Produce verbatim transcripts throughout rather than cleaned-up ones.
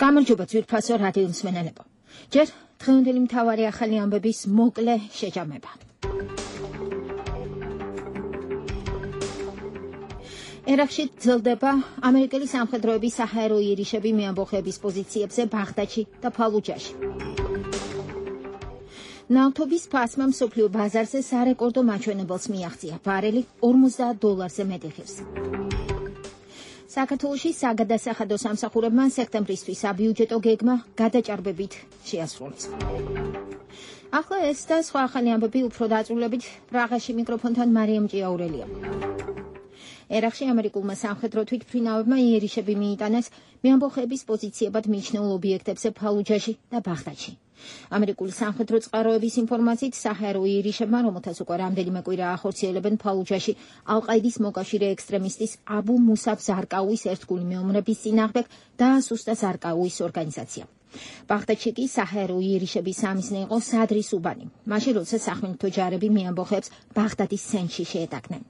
გამარჯობა ძვირფასო რადიო მსმენელებო. ჯერ დღევანდელი მთავარი ახალი ამბების მოკლე შეჯამება. ერაყში გრძელდება ამერიკელი სამხედროების საჰაერო იერიშები მეამბოხეების პოზიციებზე ბაღდადში და ფალუჯაში. ნავთობის ფასმა მსოფლიო ბაზარზე სარეკორდო მაჩვენებელს მიაღწია. ბარელი ორმოცდაათ დოლარზე მეტი ღირს. საქართველოში საგადასახადო სამსახურებმა სექტემბრისთვის საბიუჯეტო გეგმა გადაჭარბებით შეასრულეს. ახლა ეს და სხვა ახალი ამბები უფრო დაწვრილებით პრაღაში მიკროფონთან მარიამ ჭიაურელია. ერაყში ამერიკულმა სამხედრო თვითმფრინავებმა იერიშები მიიტანეს მეამბოხეების პოზიციებად მიჩნეულ ობიექტებზე ფალუჯაში და ბაღდადში. ამერიკული სამხედრო წყაროების ინფორმაციით საჰაერო იერიშებმა, რომელთაც უკვე რამდენიმე კვირა ახორციელებენ ფალუჯაში ალ-ყაიდის მოკავშირე ექსტრემისტის აბუ მუსაბ ზარკაუის ერთგული მეომრების წინააღმდეგ დაასუსტა ზარკაუის ორგანიზაცია. ბაღდადში კი საჰაერო იერიშების სამიზნე იყო სადრის უბანი, მაშინ როცა სახმელეთო ჯარები მეამბოხეებს ბაღდადის ცენტრში შეეტაკნენ.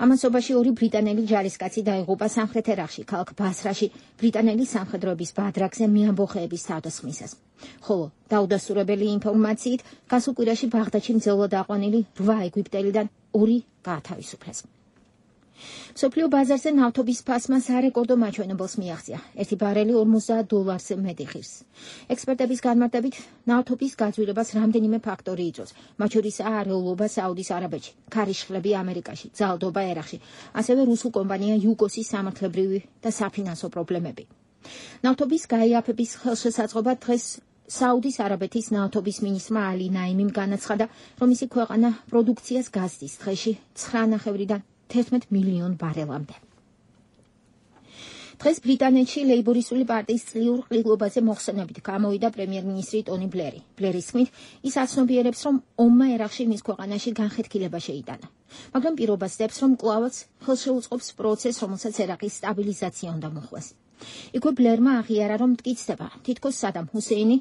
ამასობაში ორი ბრიტანელი ჯარისკაცი დაიღუპა სამხრეთ ერაყში, ქალაქ ბასრაში, ბრიტანელი სამხედროების ბადრაგზე მეამბოხეების თავდასხმისას. ხოლო დაუდასტურებელი ინფორმაციით, გასულ კვირაში ბაღდადში მძევლად აყვანილი რვა ეგვიპტელიდან ორი გაათავისუფლეს. მსოფლიო ბაზარზე ნავთობის ფასმა სარეკორდო მაჩვენებელს მიაღწია. ერთი ბარელი ორმოცდაათ დოლარზე მეტი ღირს. ექსპერტების განმარტებით, ნავთობის გაძვირებას რამდენიმე ფაქტორი იწვევს, მათ შორისაა არეულობა საუდის არაბეთში, ქარიშხლები ამერიკაში, ძალადობა ერაყში, ასევე რუსულ კომპანია იუგოსის სამართლებრივი და საფინანსო პრობლემები. ნავთობის გაიაფების ხელშესაწყობად დღეს საუდის არაბეთის ნავთობის მინისტრმა ალი ნაიმიმ განაცხადა, რომ მისი ქვეყანა პროდუქციას გაზდის დღეში ცხრა ნახევრიდან თერთმეტ მილიონ ბარელამდე. დღეს ბრიტანეთში ლეიბორისტული პარტიის წლიურ ყრილობაზე მოხსენებით გამოვიდა პრემიერ-მინისტრი ტონი ბლერი. ბლერის თქმით, ის აცნობიერებს, რომ ომმა ერაყში მის ქვეყანაში განხეთქილება შეიტანა. მაგრამ პირობას დებს, რომ კვლავაც ხელშეუწყობს პროცესს, რომელსაც ერაყის სტაბილიზაცია უნდა მოხდეს. იქვე ბლერმა აღიარა, რომ მტკიცდება, თითქოს სადამ ჰუსეინი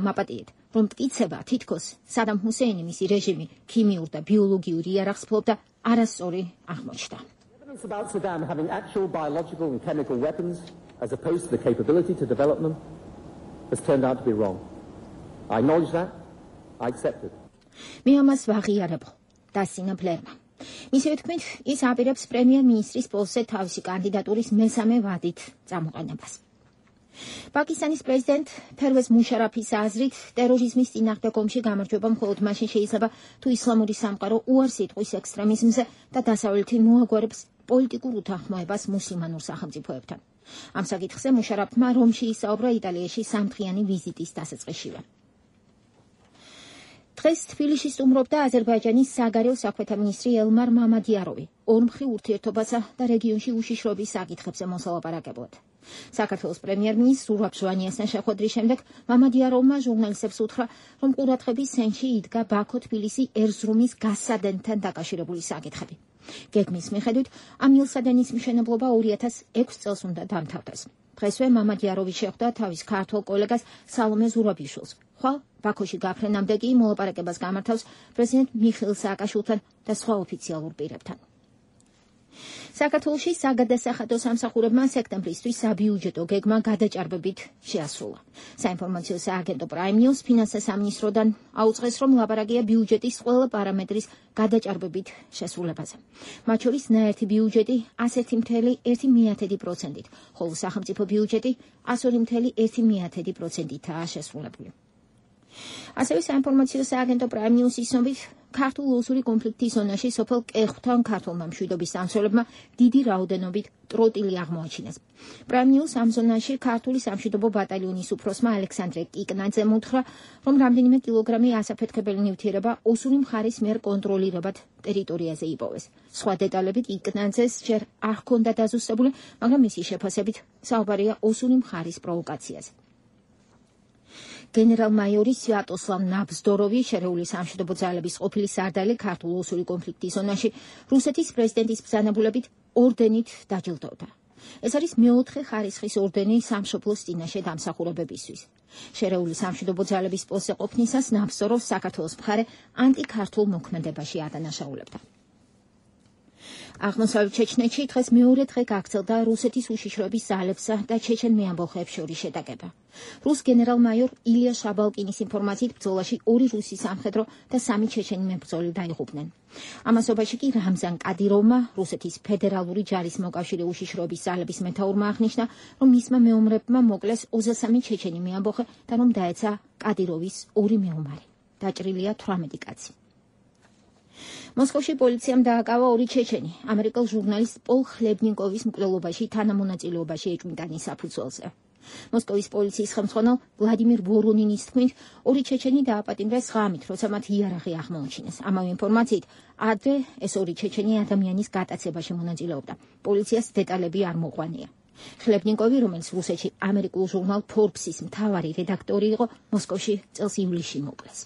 მაპატიეთ, რომ მტკიცება, თითქოს სადამ ჰუსეინი მისი რეჟიმი ქიმიურ და ბიოლოგიურ იარაღს ფლობდა, არასწორი აღმოჩნდა. Evidence about Saddam having actual biological and chemical weapons as opposed to the capability to develop them has turned out to be wrong. I acknowledge that. I accept it. მე ამას ვაღიარებ, დასინა ბლერმა. მისივე თქმით, ის აპირებს პრემიერ-მინისტრის პოსტზე თავისი კანდიდატურის მესამე ვადით წამოყენებას. პაკისტანის პრეზიდენტ ფერვეზ მუშარაფის აზრით, ტერორიზმის წინააღმდეგ ომში გამარჯვება მხოლოდ მაშინ შეიძლება, თუ ისლამური სამყარო უარს იტყვის ექსტრემიზმზე და დასავლეთი მოაგვარებს პოლიტიკურ უთანხმოებას მუსლიმანურ სახელმწიფოებთან. ამ საკითხზე მუშარაფმა რომში ისაუბრა იტალიაში სამდღიანი ვიზიტის დასაწყისშივე. დღეს თბილისში სტუმრობდა აზერბაიჯანის საგარეო საქმეთა მინისტრი ელმარ მამადიაროვი, ორმხრივ ურთიერთობასა და რეგიონში უშიშროების საკითხებზე მოსალაპარაკებლად. საქართველოს პრემიერ-მინისტრ ზურაბ ჟვანიასთან შეხვედრის შემდეგ მამადიაროვმა ჟურნალისტებს უთხრა, რომ ყურადღების ცენტრში იდგა ბაქო-თბილისი ერზრუმის გაზსადენთან დაკავშირებული საკითხები. გეგმის მიხედვით, ამ ილსადენის მშენებლობა ორი ათას ექვსი წელს უნდა დამთავრდეს. დღესვე მამადიაროვი შეხვდა თავის ქართველ კოლეგას სალომე ზურაბიშვილს. ხვალ ბაქოში გაფრენამდე კი მოლაპარაკებას გამართავს პრეზიდენტ მიხეილ სააკაშვილთან და სხვა ოფიციალურ პირებთან. საქართველოში საგადასახადო სამსახურებმა სექტემბრისთვის საბიუჯეტო გეგმა გადაჭარბებით შეასრულა. საინფორმაციო სააგენტო Prime News ფინანსთა სამინისტროდან აუწყეს, რომ ლაპარაკია ბიუჯეტის ყველა პარამეტრის გადაჭარბებით შესრულებაზე. მათ შორის ნაერთი ბიუჯეტი ასეთი მთელი ერთი მიათედი პროცენტით, ხოლო სახელმწიფო ბიუჯეტი ასორი მთელი ერთი მიათედი პროცენტითაა შესრულებული. ასევე საინფორმაციო სააგენტო Prime News-ის ცნობით, ქართულ ოსური კონფლიქტის ზონაში სოფელ კეხვთან ქართულმა მშვიდობის დამცველებმა დიდი რაოდენობით ტროტილი აღმოაჩინეს. Prime News ამ ზონაში ქართული სამშვიდობო ბატალიონის უფროსმა ალექსანდრე კიკნაძემ უთხრა, რომ რამდენიმე კილოგრამი ასაფეთქებელი ნივთიერება ოსური მხარის მიერ კონტროლირებად ტერიტორიაზე იპოვეს. სხვა დეტალებით კიკნაძეს ჯერ არ ჰქონდა დაზუსტებული, მაგრამ მისი შეფასებით საუბარია ოსური მხარის პროვოკაციაზე. გენერალ-მაიორი სვიატოსლავ ნაბზდოროვი, შერეული სამშვიდობო ძალების ყოფილი სარდალი ქართულ ოსური კონფლიქტის ზონაში, რუსეთის პრეზიდენტის ბრძანებულებით ორდენით დაჯილდოვდა. ეს არის მეოთხე ხარისხის ორდენი სამშობლოს წინაშე დამსახურებებისთვის. შერეული სამშვიდობო ძალების პოსტზე ყოფნისას ნაბზდოროვს საქართველოს მხარე ანტიქართულ მოქმედებაში ადანაშაულებდა. აღმოსავლეთ ჩეჩნეთში დღეს მეორე დღე გაგრძელდა რუსეთის უშიშროების ძალებსა და ჩეჩენ მეამბოხეებს შორის შეტაკება. რუს გენერალ-მაიორ ილია შაბალკინის ინფორმაციით ბრძოლაში ორი რუსი სამხედრო და სამი ჩეჩენი მებრძოლი დაიღუპნენ. ამასობაში კი რამზან კადიროვმა, რუსეთის ფედერალური ჯარის მოკავშირე უშიშროების ძალების მეთაურმა აღნიშნა, რომ მისმა მეომრებმა მოკლეს ოცდასამი ჩეჩენი მეამბოხე და რომ დაეცა კადიროვის ორი მეომარი. დაჭრილია თვრამეტი კაცი. მოსკოვში პოლიციამ დააკავა ორი ჩეჩენი, ამერიკელ ჟურნალისტ პოლ ხლებნიკოვის მკვლელობაში თანამონაწილეობაში ეჭვმიტანის საფუძველზე. მოსკოვის პოლიციის ხელმძღვანელ ვლადიმირ ვორონინის თქმით, ორი ჩეჩენი დააპატიმრეს ღამით, როცა მათ იარაღი აღმოაჩინეს. ამავე ინფორმაციით, ადრე ეს ორი ჩეჩენი ადამიანის გატაცებაში მონაწილეობდა. პოლიციას დეტალები არ მოყვანია. ხლებნიკოვი, რომელიც რუსეთში ამერიკულ ჟურნალ Forbes-ის მთავარი რედაქტორი იყო, მოსკოვში წელს ივლისში მოკლეს.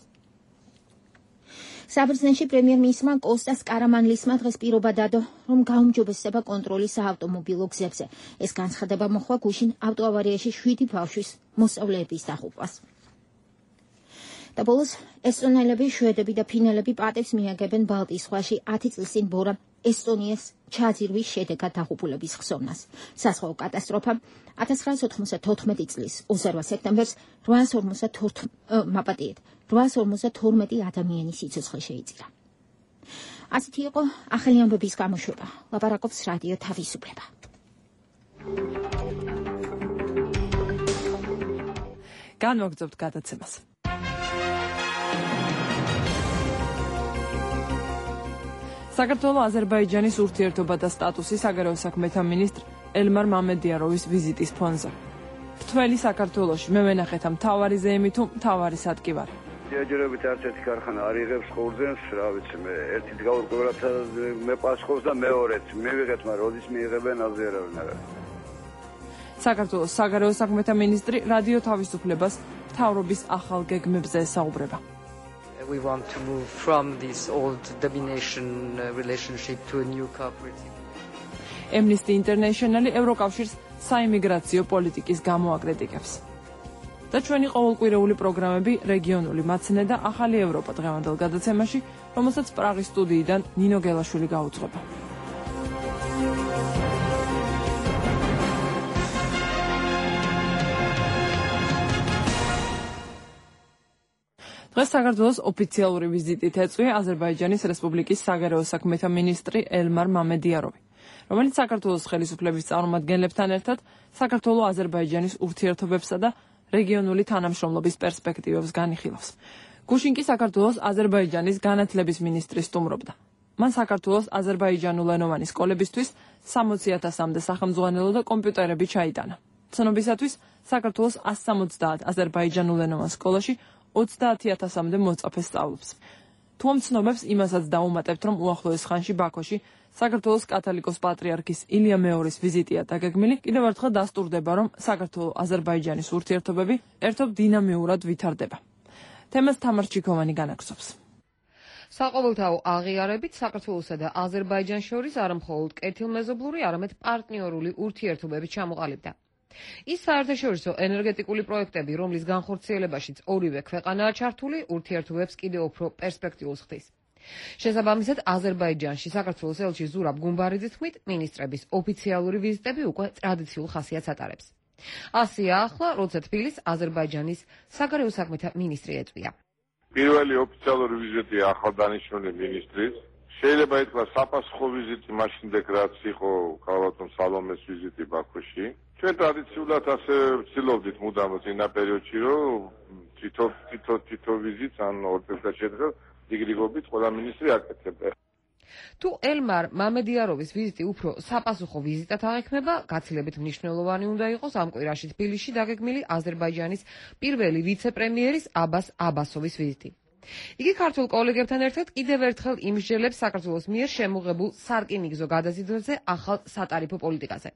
საბერძნეთში პრემიერ-მინისტრმა კოსტას კარამანლისმა დღეს პირობა დადო, რომ გაუმჯობესდება კონტროლი საავტომობილო გზებზე. ეს განცხადება მოხდა გუშინ ავტოავარიაში შვიდი ბავშვის მოსწავლეების დაღუპვას. და ბოლოს ესტონელები, შვედები და ფინელები პატევს მიაგებენ ბალტიის ზღვაში ათი წლის წინ ბორამ ესტონიას ჩაძირვის შედეგად დაღუპულების ხსოვნას. საზღვაო კატასტროფამ ათას ცხრაასი ოთხმოცდათოთხმეტი წლის ოცდაორ სექტემბერს რვაასი ორმოცდათორმეტი ადამიანის სიცოცხლე შეიწირა. ასეთი იყო ახალი ამბების გამოშვება. ლაპარაკობს რადიო თავისუფლება. განვაგრძობთ გადაცემას. საქართველოს აზერბაიჯანის ურთიერთობა და სტატუსი საგარეო საქმეთა მინისტრ ელმარ მამედიაროვის ვიზიტის ფონზე. მთველი საქართველოში მე ვენახეთ ამ მთავარი ზეიმი თუ მთავარი სადგივარი. ჯერჯერობით არც ერთი ქარხანა არ იღებს ხორცს, რა ვიცი მე, ერთით გაურკვევლად მე პასუხობს და მეორეც მივიღეთ, მაგრამ როდის მიიღებენ აზე არავინ არ არის. საქართველოს საგარეო საქმეთა მინისტრი რადიო თავისუფლებას მთავრობის ახალ გეგმებზე ესაუბრება. We want to move from this old domination relationship to a new cooperative. Amnesty International ევროკავშირს საიმიგრაციო პოლიტიკის გამოაკრიტიკებს. და ჩვენი ყოველკვირეული პროგრამები რეგიონული მაცნე და ახალი ევროპა დღევანდელ გადაცემაში, რომელსაც პრაღის სტუდიიდან ნინო გელაშვილი გაუძღვება. დღეს საქართველოს ოფიციალური ვიზიტით ეწვია აზერბაიჯანის რესპუბლიკის საგარეო საქმეთა მინისტრი ელმარ მამედიაროვი, რომელიც საქართველოს ხელისუფლების წარმომადგენლებთან ერთად საქართველოს აზერბაიჯანის ურთიერთობებსა და რეგიონული თანამშრომლობის პერსპექტივებს განიხილავს. გუშინ კი საქართველოს აზერბაიჯანის განათლების მინისტრი სტუმრობდა. მან საქართველოს აზერბაიჯანულენოვანი სკოლებისთვის სამოცი ათასამდე სახელმძღვანელო და კომპიუტერები ჩაიტანა. ცნობისათვის საქართველოს ასი სამოცდაათ აზერბაიჯანულენოვან სკოლაში ოცდაათი ათასამდე მოწაფე სწავლობს. თუ ამ ცნობებს იმასაც დაუმატებთ, რომ უახლოეს ხანში ბაქოში საქართველოს კათოლიკოს პატრიარქის ილია მეორის ვიზიტია დაგეგმილი, კიდევ ერთხელ დასტურდება, რომ საქართველოს აზერბაიჯანის ურთიერთობები ერთობ დინამიურად ვითარდება. თემას თამარ ჩიქოვანი განაგზობს. საყოველთაო აღიარებით საქართველოსა და აზერბაიჯანს შორის არამხოლოდ კეთილმეზობლური, არამედ პარტნიორული ურთიერთობები ჩამოყალიბდა. ის საერთაშორისო ენერგეტიკული პროექტები, რომლის განხორციელებაშიც ორივე ქვეყანაა ჩართული, ურთიერთობებს კიდევ უფრო პერსპექტიულს ხდის. შესაბამისად, აზერბაიჯანში საქართველოს ელჩი ზურაბ გუმბარიძის თქმით, მინისტრების ოფიციალური ვიზიტები უკვე ტრადიციულ ხასიათს ატარებს. ასია ახლა, როცა თბილისს აზერბაიჯანის საგარეო საქმეთა მინისტრი ეწვია. პირველი ოფიციალური ვიზიტი ახალდანიშნული მინისტრის. შეიძლება ითქვას საფასუხო ვიზიტი მაშინდე რაც იყო ქალბატონ სალომეს ვიზიტი ბაქოში. ჩვენ ტრადიციულად ასე ვცდილობდით მუდამ წინა პერიოდში, რომ თითო თითო თითო ვიზიტს ან ორ წელიწად შედგა დიგრიგობით ყველა მინისტრი აკეთებდა. თუ ელმარ მამედიაროვის ვიზიტი უფრო საფასუხო ვიზიტად აღიქმება, გაცილებით მნიშვნელოვანი უნდა იყოს ამ კვირაში თბილისში დაგეგმილი აზერბაიჯანის პირველი ვიცე-პრემიერის აბას აბასოვის ვიზიტი. იგი ქართულ კოლეგებთან ერთად კიდევ ერთხელ იმსჯელებს საქართველოს მიერ შემოღებულ სარკინიგზო გადაზიდვებზე ახალ სატარიფო პოლიტიკაზე,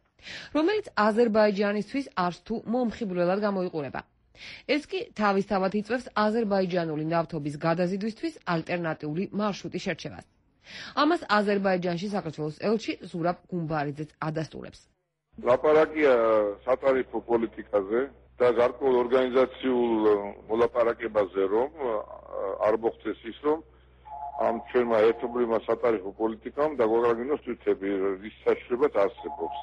რომელიც აზერბაიჯანისთვის არც თუ მომხიბვლელად გამოიყურება. ეს კი თავისთავად იწვევს აზერბაიჯანული ნავთობის გადაზიდვისთვის ალტერნატიული მარშრუტის შერჩევას. ამას აზერბაიჯანში საქართველოს ელჩი ზურაბ გუმბარიძეც ადასტურებს. ლაპარაკია სატარიფო პოლიტიკაზე და გარკვეულ ორგანიზაციულ მოლაპარაკებაზე, რომ არ მოხდეს ის, რომ ამ ჩვენმა ერთობლივმა სატარიფო პოლიტიკამ და გვაგრაგინოს თვითები რის საშუალებაც არსებობს.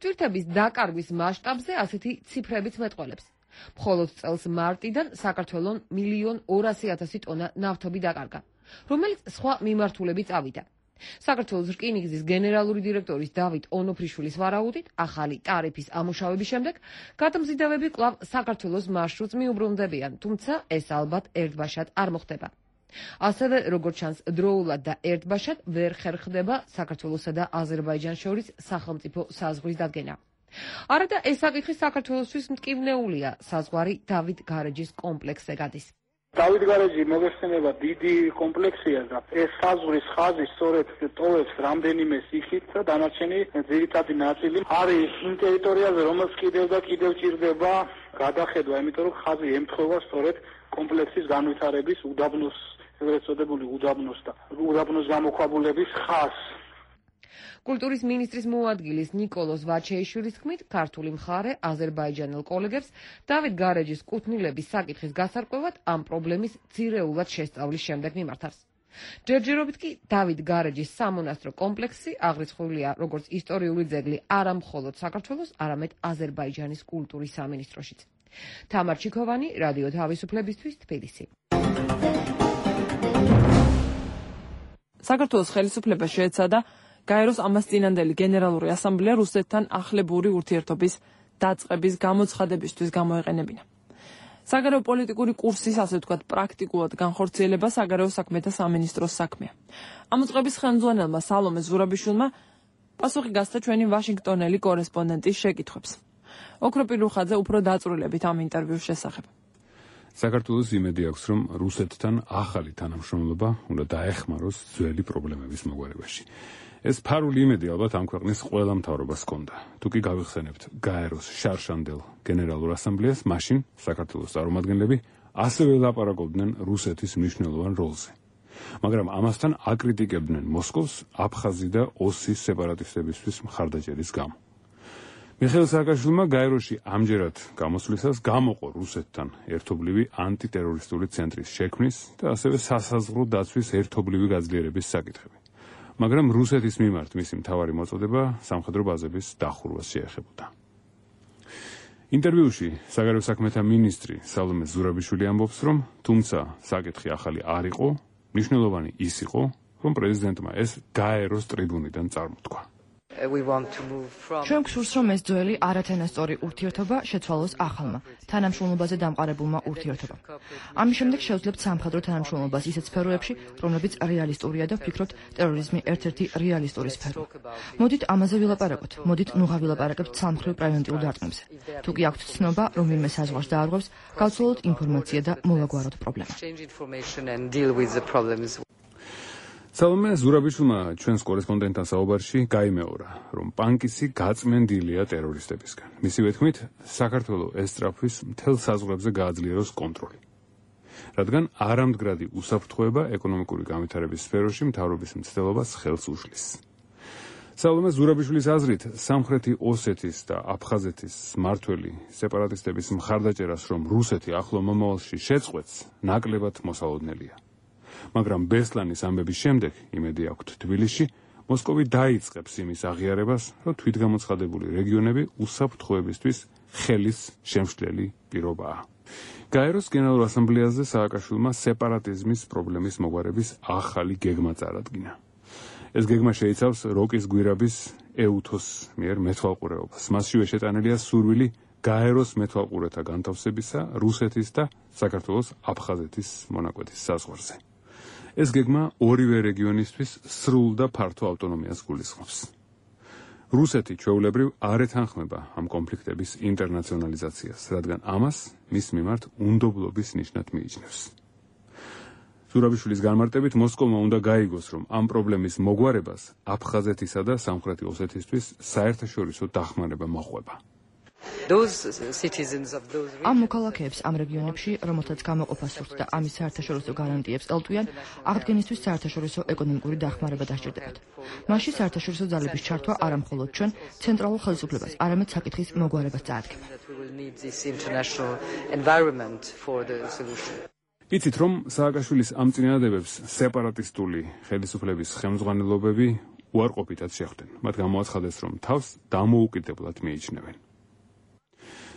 თვითების დაკარგვის მასშტაბზე ასეთი ციფრებიც მეტყველებს. მხოლოდ წელს მარტიდან საქართველოს მილიონ ორასი ათასი ტონა ნავთობი დაკარგა, რომელიც სხვა მიმართულებით წავიდა. საქართველოს რკინიგზის გენერალური დირექტორის დავით ონოფრიშვილის ვარაუდით, ახალი ტარიფის ამუშავების შემდეგ გადამზიდავები კვლავ საქართველოს მარშრუტს მიუბრუნდებიან, თუმცა ეს ალბათ ერთბაშად არ მოხდება. ასევე, როგორც ჩანს, დროულად და ერთბაშად ვერ ხერხდება საქართველოსა და აზერბაიჯანს შორის სახელმწიფო საზღვრის დადგენა. არა და ეს საკითხი საქართველოსთვის მტკივნეულია, საზღვარი დავით გარეჯის კომპლექსზე გადის. დავით გარეჯი მოგეხსენება დიდი კომპლექსია და ეს საზღვრის ხაზი სწორედ ტოვებს რამდენიმე სიხით და დანარჩენი ძირითადი ნაწილი არის იმ ტერიტორიაზე, რომელიც კიდევ და კიდევ ჭირდება გადახედვა, იმიტომ რომ ხაზი ემთხვევა სწორედ კომპლექსის განვითარების უდაბნოს, ეგრეთ წოდებული უდაბნოს და უდაბნოს გამოქვაბულების ხაზს. კულტურის მინისტრის მოადგილის ნიკოლოზ ვაჩეიშვილის თქმით, ქართული მხარე აზერბაიჯანელ კოლეგებს დავით გარეჯის კუთვნილების საკითხის გასარკვევად ამ პრობლემის ძირეულად შესწავლის შემდეგ მიმართავს. ჯერჯერობით კი დავით გარეჯის სამონასტრო კომპლექსი აღრიცხულია როგორც ისტორიული ძეგლი არა მხოლოდ საქართველოს, არამედ აზერბაიჯანის კულტურის სამინისტროშიც. თამარ ჩიქოვანი, რადიო თავისუფლებისთვის, თბილისი. საქართველოს ხელისუფლება შეეცადა გაეროს ამას წინანდელი გენერალური ასამბლეა რუსეთთან ახლებური ურთიერთობის დაწყების გამოცხადებისთვის გამოეყენებინა. საგარეო პოლიტიკური კურსის, ასე ვთქვათ, პრაქტიკულად განხორციელება საგარეო საქმეთა სამინისტროს საქმეა. ამ უწყების ხელმძღვანელმა სალომე ზურაბიშვილმა პასუხი გასცა ჩვენი ვაშინგტონელი კორესპონდენტის შეკითხვებს. ოქრო პირუხაძე უფრო დაწვრილებით ამ ინტერვიუს შესახებ. საქართველოს იმედი აქვს, რომ რუსეთთან ახალი თანამშრომლობა უნდა დაეხმაროს ძველი პრობლემების მოგვარებაში. ეს ფარული იმედი ალბათ ამ ქვეყნის ყველა მთავრობას ჰქონდა. თუ კი გავიხსენებთ გაეროს შარშანდელ გენერალურ ასამბლეას, მაშინ საქართველოს წარმომადგენლები ასევე ლაპარაკობდნენ რუსეთის მნიშვნელოვან როლზე. მაგრამ ამასთან აკრიტიკებდნენ მოსკოვს აფხაზი და ოსის სეპარატისტებისთვის მხარდაჭერის გამო. მიხეილ სააკაშვილმა გაეროში ამჯერად გამოსვლისას გამოყო რუსეთთან ერთობლივი ანტიტერორისტული ცენტრის შექმნის და ასევე სასაზღვრო დაცვის ერთობლივი გაძლიერების საკითხები. მაგრამ რუსეთის მიმართ მისი მთავარი მოწოდება სამხედრო ბაზების დახურვას შეეხებოდა. ინტერვიუში საგარეო საქმეთა მინისტრი სალომე ზურაბიშვილი ამბობს, რომ თუმცა საკითხი ახალი არ იყო, მნიშვნელოვანი ის იყო, რომ პრეზიდენტმა ეს გაეროს ტრიბუნიდან წარმოთქვა. ჩვენ გვსურს, რომ ეს ძველი არათანასწორი ურთიერთობა შეცვალოს ახალმა, თანამშრომლობაზე დამყარებულმა ურთიერთობამ. ამის შემდეგ შევძლებთ სამხედრო თანამშრომლობას ისეთ სფეროებში, რომლებიც რეალისტურია და ვფიქრობთ, ტერორიზმი ერთ-ერთი რეალისტური სფეროა. მოდით ამაზე ვილაპარაკოთ, მოდით ნუღა ვილაპარაკებთ სამხრივ პრევენტიულ დარტყმებზე. თუ კი აქვთ ცნობა, რომ ვინმე საზღვარს დაარღვევს, გავცვალოთ ინფორმაცია და მოვაგვაროთ პრობლემა. სალომე ზურაბიშვილმა ჩვენს კორესპონდენტთან საუბარში გაიმეორა, რომ პანკისი გაწმენდილია ტერორისტებისგან. მისივე თქმით, საქართველოს ესწრაფვის მთელ საზღვრებზე გააძლიეროს კონტროლი. რადგან არამდგრადი უსაფრთხოება ეკონომიკური განვითარების სფეროში მთავრობის მცდელობას ხელს უშლის. სალომე ზურაბიშვილის აზრით, სამხრეთი ოსეთის და აფხაზეთის მმართველი სეპარატისტების მხარდაჭერას, რომ რუსეთი ახლო მომავალში შეწყვეტს, ნაკლებად მოსალოდნელია. მაგრამ ბესლანის ამბების შემდეგ, იმედი აქვთ თბილისში, მოსკოვი დაიწყებს იმის აღიარებას, რომ თვითგამოცხადებული რეგიონები უსაფრთხოებისთვის ხელის შემშლელი პირობაა. გაეროს გენერალურ ასამბლეაზე სააკაშვილმა სეპარატიზმის პრობლემის მოგვარების ახალი გეგმა წარადგინა. ეს გეგმა შეიცავს როკის გვირაბის ეუთოს მიერ მეთვალყურეობას. მასშივე შეტანილია სურვილი გაეროს მეთვალყურეთა განთავსებისა რუსეთის და საქართველოს აფხაზეთის მონაკვეთის საზღვარზე. ეს გეგმა ორივე რეგიონისთვის სრულ და ფართო ავტონომიას გულისხმობს. რუსეთი ჩვეულებრივ არ ეთანხმება ამ კონფლიქტების ინტერნაციონალიზაციას, რადგან ამას მის მიმართ უნდობლობის ნიშნად მიიჩნევს. ზურაბიშვილის განმარტებით, მოსკოვმა უნდა გაიგოს, რომ ამ პრობლემის მოგვარებას აფხაზეთისა და სამხრეთი ოსეთისთვის საერთაშორისო დახმარება მოჰყვება. ამ მოქალაქეებს ამ რეგიონებში, რომელთაც გამოყოფა სურთ და ამის საერთაშორისო გარანტიებს ელტვიან, აღდგენისთვის საერთაშორისო ეკონომიკური დახმარება დასჭირდებათ. მასში საერთაშორისო ძალების ჩართვა არა მხოლოდ ჩვენ ცენტრალურ ხელისუფლებას, არამედ საკითხის მოგვარებას წაადგება. იცით რომ სააკაშვილის ამ წინადადებებს სეპარატისტული ხელისუფლების ხელმძღვანელობები უარყოფითად შეხვდნენ. მათ გამოაცხადეს, რომ თავს დამოუკიდებლად მიიჩნევენ.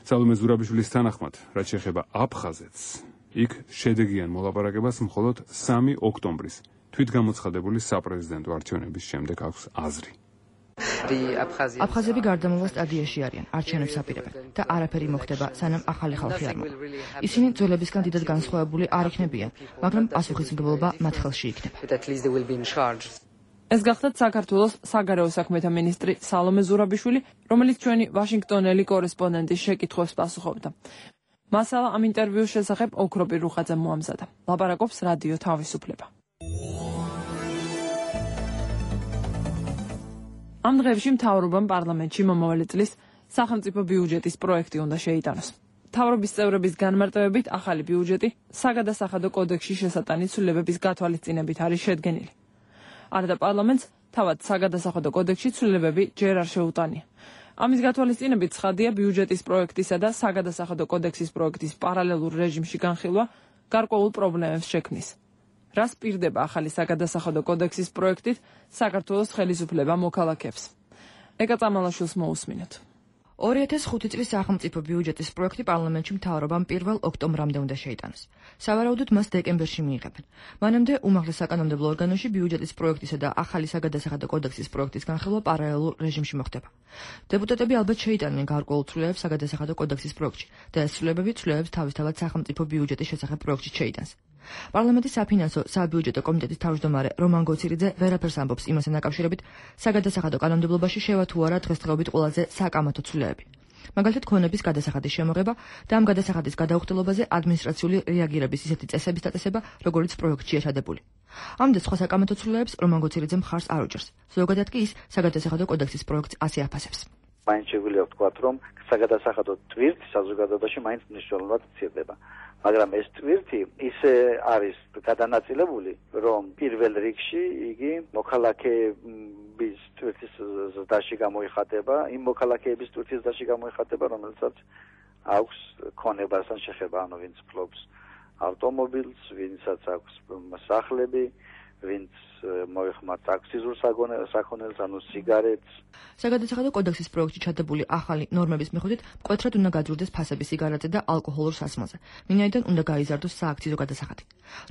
სალომე ზურაბიშვილის თანახმად, რაც შეეხება აფხაზეთს, იქ შედეგიან მოლაპარაკებას მხოლოდ სამი ოქტომბრის თვითგამოცხადებული საპრეზიდენტო არჩევნების შემდეგ აქვს აზრი. აფხაზები გარდამავალ სტადიაში არიან, არჩევნებს აპირებენ და არაფერი მოხდება, სანამ ახალი ხალხი არ მოვა. ისინი ძველებისგან დიდად განსხვავებული არ იქნებიან, მაგრამ პასუხისმგებლობა მათ ხელში იქნება. ეს გახლავთ საქართველოს საგარეო საქმეთა მინისტრი სალომე ზურაბიშვილი, რომელიც ჩვენი ვაშინგტონელი კორესპონდენტის შეკითხვებს პასუხობდა. მასალა ამ ინტერვიუს შესახებ ოქროპირ რუხაძემ მოამზადა. ლაპარაკობს რადიო თავისუფლება. ამ დღეებში მთავრობამ პარლამენტში მომავალი წლის სახელმწიფო ბიუჯეტის პროექტი უნდა შეიტანოს. მთავრობის წევრების განმარტებებით ახალი ბიუჯეტი საგადასახადო კოდექსში შესატანი ცვლილებების გათვალისწინებით არის შედგენილი. არადა პარლამენტს თავად საგადასახადო კოდექსში ცვლილებები ჯერ არ შეუტანია. ამის გათვალისწინებით ცხადია ბიუჯეტის პროექტისა და საგადასახადო კოდექსის პროექტის პარალელურ რეჟიმში განხილვა გარკვეულ პრობლემებს შექმნის. რას პირდება ახალი საგადასახადო კოდექსის პროექტით საქართველოს ხელისუფლება მოქალაქეებს. ეკა წამალაშვილს მოусმინოთ. ორი ათას ხუთი წლის სახელმწიფო ბიუჯეტის პროექტი პარლამენტში მთავრობამ პირველ ოქტომბრამდე უნდა შეიტანოს. სავარაუდოდ მას დეკემბერში მიიღებენ. მანამდე უმაღლეს საკანონმდებლო ორგანოში ბიუჯეტის პროექტისა და ახალი საგადასახადო კოდექსის პროექტის განხილვა პარალელურ რეჟიმში მოხდება. დეპუტატები ალბათ შეიტანენ გარკვეულ ცვლილებებს საგადასახადო კოდექსის პროექტში და ეს ცვლილებები ცვლილებებს თავისთავად სახელმწიფო ბიუჯეტის შესახებ პროექტში შეიტანს. პარლამენტის საფინანსო საბიუჯეტო კომიტეტის თავმჯდომარე რომან გოცირიძე ვერაფერს ამბობს იმასთან დაკავშირებით, საგადასახადო კანონმდებლობაში შევა თუ არა დღესდღეობით ყველაზე საკამათო ცვლილებები. მაგალითად, ქონების გადასახადის შემოღება და ამ გადასახადის გადაუხდელობაზე ადმინისტრაციული რეაგირების ისეთი წესების დაწესება, როგორც პროექტშია ჩადებული. ამდენ სხვა საკამათო ცვლილებებს რომან გოცირიძე მხარს არ უჭერს. ზოგადად კი ის საგადასახადო კოდექსის პროექტს ასე აფასებს. მაინც შეგვიძლია ვთქვათ, რომ საგადასახადო ტვირთი საზოგადოებაში მაინც მნიშვნელოვნად მცირდება. მაგრამ ეს ტვირთი ისე არის გადანაწილებული, რომ პირველ რიგში იგი მოქალაქეების ტვირთის ზრდაში გამოიხატება, იმ მოქალაქეების ტვირთის ზრდაში გამოიხატება, რომელსაც აქვს ქონებასთან შეხება, ანუ ვინც ფლობს ავტომობილს, ვინცაც აქვს სახლები, ვინც მოიხმართ აქსიზურ საქონელს, ანუ სიგარეტს. საგადასახადო კოდექსის პროექტში ჩადებული ახალი ნორმების მიხედვით მკვეთრად უნდა გაძვირდეს ფასები სიგარეტზე და ალკოჰოლურ სასმელზე. მინაიდან უნდა გაიზარდოს სააქციზო გადასახადი.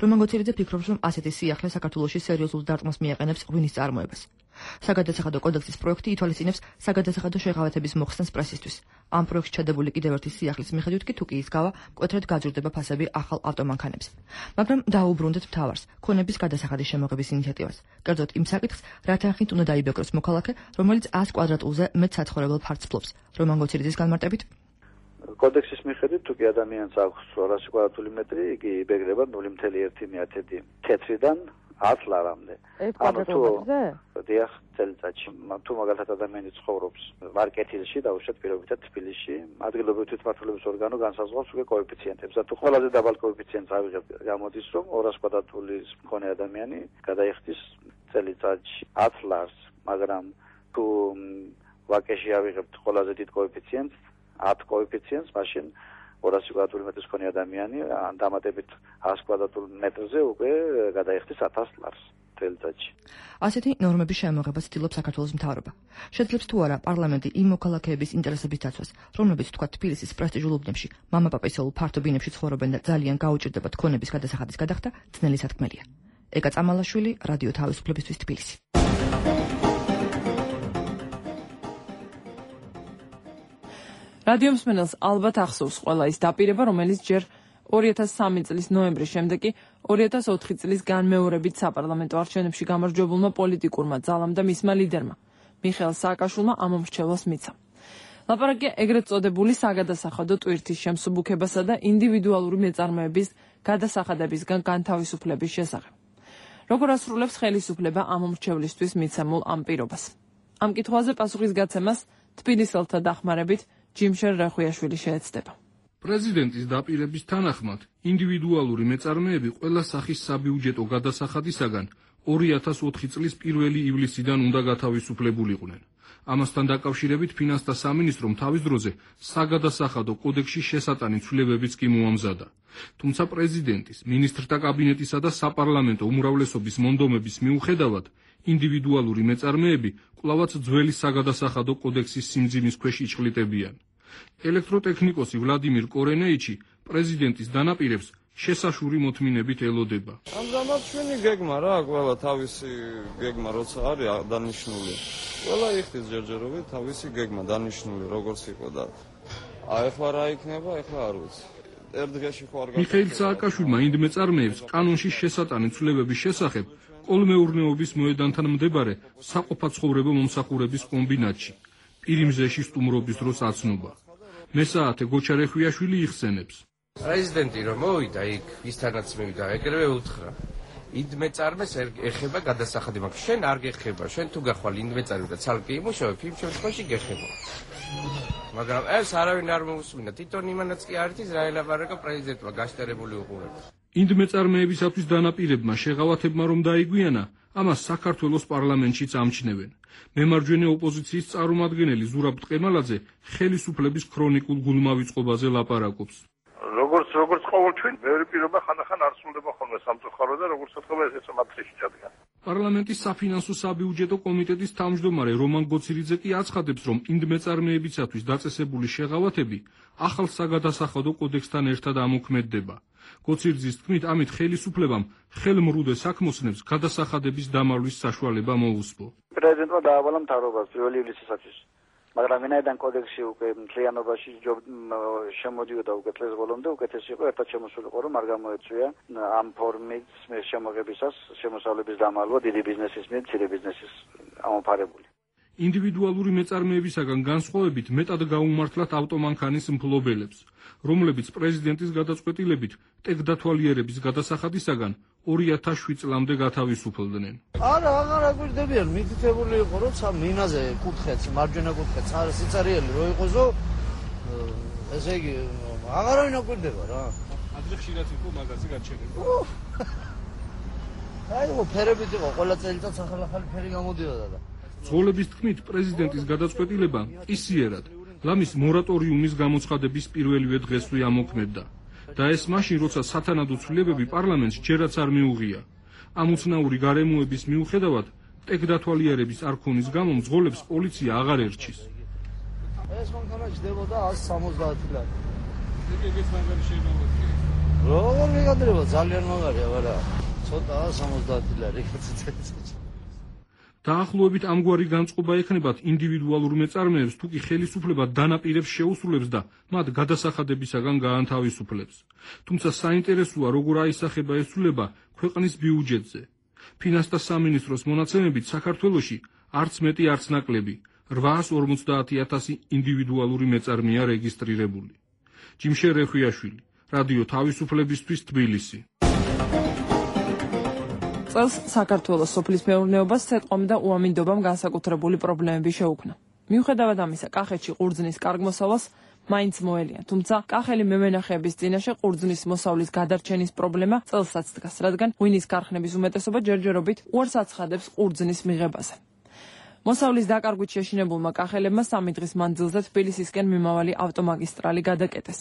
რომან გოცირიძე ფიქრობს, რომ ასეთი სიახლე საქართველოში სერიოზულ დარტყმას მიაყენებს ღვინის წარმოებას. საგადასახადო კოდექსის პროექტი ითვალისწინებს საგადასახადო შეღავათების მოხსნას პრესისთვის. ამ პროექტში ჩადებული კიდევ ერთი სიახლის მიხედვით კი თუ კი ის გავა, მკვეთრად გაძვირდება ფასები ახალ ავტომანქანებზე. მაგრამ დაუბრუნდეთ მთავარს, ქონების გადასახადის შემოღების ინიციატივას. კერძოდ იმ საკითხს, რა თანხით უნდა დაიბეკროს მოქალაქე, რომელიც ას კვადრატულზე მეტ საცხოვრებელ ფართს ფლობს. რომან გოცირიძის განმარტებით, კოდექსის მიხედვით თუ კი ადამიანს აქვს ორასი კვადრატული მეტრი, იგი იბეგრება ნული კoma ერთი თეთრიდან ათ ლარამდე. ანუ თუ დიახ წელიწადში, თუ მაგალითად ადამიანი ცხოვრობს მარკეტილში და უშუალოდ პირობითად თბილისში, ადგილობრივი თვითმმართველობის ორგანო განსაზღვრავს უკვე კოეფიციენტებს. და თუ ყველაზე დაბალ კოეფიციენტს ავიღებ, გამოდის რომ ორასი კვადრატულის მქონე ადამიანი გადაიხდის წელიწადში ათ ლარს, მაგრამ თუ ვაკეში ავიღებთ ყველაზე დიდ კოეფიციენტს, ათ კოეფიციენტს, მაშინ ორასი კვადრატული მეტრის მქონე ადამიანი დამატებით ას კვადრატულ მეტრზე უკვე გადაიხდის ათას ლარს წელიწადში. ასეთი ნორმების შემოღებას ცდილობს საქართველოს მთავრობა. შეძლებს თუ არა პარლამენტი იმ მოქალაქეების ინტერესების დაცვას, რომლებიც თქვა თბილისის პრესტიჟულ უბნებში, მამაპაპისეულ ფართო ბინებში ცხოვრობენ და ძალიან გაუჭირდებათ ქონების გადასახადის გადახდა, ძნელი სათქმელია. ეკა წამალაშვილი, რადიო თავისუფლებისთვის თბილისი. რადიო მსმენელს ალბათ ახსოვს ყველა ის დაპირება, რომელიც ჯერ ორი ათას სამი წლის ნოემბრის შემდეგ კი ორი ათას ოთხი წლის განმეორებით საპარლამენტო არჩევნებში გამარჯვებულმა პოლიტიკურმა ძალამ და მისმა ლიდერმა მიხეილ სააკაშვილმა ამომრჩევლას მიცა. ლაპარაკია ეგრეთ წოდებული საგადასახადო ტვირთის შემსუბუქებასა და ინდივიდუალური მეწარმეების გადასახადებისგან განთავისუფლების შესახებ. როგორ ასრულებს ხელისუფლება ამომრჩევლისთვის მიცემულ ამ პირობას? ამ კითხვაზე პასუხის გაცემას თბილისელთა დახმარებით ჯიმშენ რახვიაშვილი შეეცდება. პრეზიდენტის დაპირების თანახმად, ინდივიდუალური მეწარმეები ყველა სახის საბიუჯეტო გადასახადისაგან ორი ათას ოთხი წლის პირველი ივლისიდან უნდა გათავისუფლებულიყვნენ. ამასთან დაკავშირებით ფინანსთა სამინისტრომ თავის დროზე საგადასახადო კოდექსში შესატანი ცვლილებებიც კი მოამზადა. თუმცა პრეზიდენტის, მინისტრთა კაბინეტისა და საპარლამენტო უმრავლესობის მონდომების მიუხედავად, ინდივიდუალური მეწარმეები კვლავაც ძველი საგადასახადო კოდექსის სიმძიმის ქვეშ იჭყლიტებიან. ელექტროტექნიკოსი ვლადიმირ კორენეიჩი პრეზიდენტის დანაპირებს შესაშური მოთმინებით ელოდება. ამჟამად ჩვენი გეგმა რა, ყველა თავისი გეგმა როცა არის დანიშნული. ყველა იხდის ჯერჯერობით თავისი გეგმა დანიშნული როგორც იყო და ახლა რა იქნება, ახლა არ ვიცი. ერთ დღეში ხო არ მიხეილ სააკაშვილმა ინდმეწარმეებს კანონში შესატანი ცვლილებების შესახებ კოლმეურნეობის მოედანთან მდებარე საყოფაცხოვრებო მომსახურების კომბინატში პირიმზეში სტუმრობის დროს აცნობა. მესაათე გოჩა რეხვიაშვილი იხსენებს. პრეზიდენტი რომ მოვიდა იქ, ისთანაც მივიდა, ეგრევე უთხრა. ინდმეწარმეს ეხება გადასახადი, მაგრამ შენ არ გეხება, შენ თუ გახვალ ინდმეწარმე და ცალკე იმუშავებ, იმ შემთხვევაში გეხება. მაგრამ ეს არავინ არ მოусმინა, თვითონ იმანაც კი არ იცის რა ელაპარაკა პრეზიდენტმა გაშტერებული უყურებს. ინდმეწარმეებისათვის დანაპირებმა შეღავათებმა რომ დაიგვიანა, ამას საქართველოს პარლამენტშიც ამჩნევენ. მემარჯვენე ოპოზიციის წარმომადგენელი ზურაბ ტყემალაძე ხელისუფლების ქრონიკულ გულმავიწყობაზე ლაპარაკობს. როგორც როგორც ყოველთვის მეორე პირობა ხანდახან არ სრულდება ხოლმე სამწუხარო და როგორც ვთქვა ესეც მატრიში ჩადგა. პარლამენტის საფინანსო საბიუჯეტო კომიტეტის თავმჯდომარე რომან გოცირიძე კი აცხადებს, რომ ინდმეწარმეებისათვის დაწესებული შეღავათები ახალ საგადასახადო კოდექსთან ერთად ამოქმედდება. გოცირიძის თქმით, ამით ხელისუფლებამ ხელმრუდე საქმოსნებს გადასახადების დამალვის საშუალება მოუსწრო. პრეზიდენტმა დაავალა მთავრობას პირველი ივლისისათვის. მაგრამ ვინაიდან კოდექსი უკვე მთლიანობაში შემოდიოდა უკვე წლის ბოლომდე, უკეთესი იყო ერთად შემოსულიყო, რომ არ გამოეწვია ამ ფორმის შემოღებისას შემოსავლების დამალვა დიდი ბიზნესის მიერ მცირე ბიზნესის ამოფარებული. ინდივიდუალური მეწარმეებისაგან განსხვავებით მეტად გაუმართლათ ავტომანქანის მფლობელებს, რომლებიც პრეზიდენტის გადაწყვეტილებით ტექდათვალიერების გადასახადისაგან ორი ათას შვიდ წლამდე გათავისუფლდნენ. არა, აღარ აგვირდებიან, მითითებული იყო, რომ მინაზე კუთხეც, მარჯვენა კუთხეც, არა სიცარიელი რო იყოსო, ესე იგი, აღარავინ აგვირდება რა. ადრე ხშირად იყო მაგაზე გაჩერება. აი, ფერებით იყო, ყველა წელიწადს ახალ-ახალი ფერი გამოდიოდა და ძღოლების თქმით, პრეზიდენტის გადაწყვეტილება ისიერად ლამის მორატორიუმის გამოცხადების პირველივე დღესვე ამოქმედდა. და ეს მაშინ, როცა სათანადო ცვლილებები პარლამენტს ჯერაც არ მიუღია. ამ უცნაური გარემოების მიუხედავად, ტექდათვალიერების არ ქონის გამო მძღოლებს პოლიცია აღარ ერჩის. ეს მანქანა ჯდებოდა ას სამოცდაათი ლარი. ეგეც მაგარი შეიძლება. როგორ მიგადრება, ძალიან მაგარია, ვარა. ცოტაა სამოცდაათი ლარი, კაციც. დაახლოებით ამგვარი განწყობა ექნებათ ინდივიდუალურ მეწარმეებს, თუ კი ხელისუფლება დანაპირებს შეუსრულებს და მათ გადასახადებისაგან გაანთავისუფლებს. თუმცა საინტერესოა, როგორ აისახება ეს ცვლილება ქვეყნის ბიუჯეტზე. ფინანსთა სამინისტროს მონაცემებით საქართველოში არც მეტი არც ნაკლები რვაას ორმოცდაათი ათასი ინდივიდუალური მეწარმეა რეგისტრირებული. ჯიმშე რეხვიაშვილი, რადიო თავისუფლებისთვის, თბილისი. წელს საქართველოს სოფლის მეურნეობას სეტყომ და უამინდობამ განსაკუთრებული პრობლემები შეუქმნა. მიუხედავად ამისა, კახეთში ყურძნის კარგ მოსავალს მაინც მოელიან, თუმცა კახელი მემენახეების წინაშე ყურძნის მოსავლის გადარჩენის პრობლემა წელსაც დგას, რადგან ღვინის ქარხნების უმეტესობა ჯერჯერობით უარს აცხადებს ყურძნის მიღებაზე. მოსავლის დაკარგვით შეშინებულმა კახელებმა სამი დღის მანძილზე თბილისისკენ მიმავალი ავტომაგისტრალი გადაკეტეს.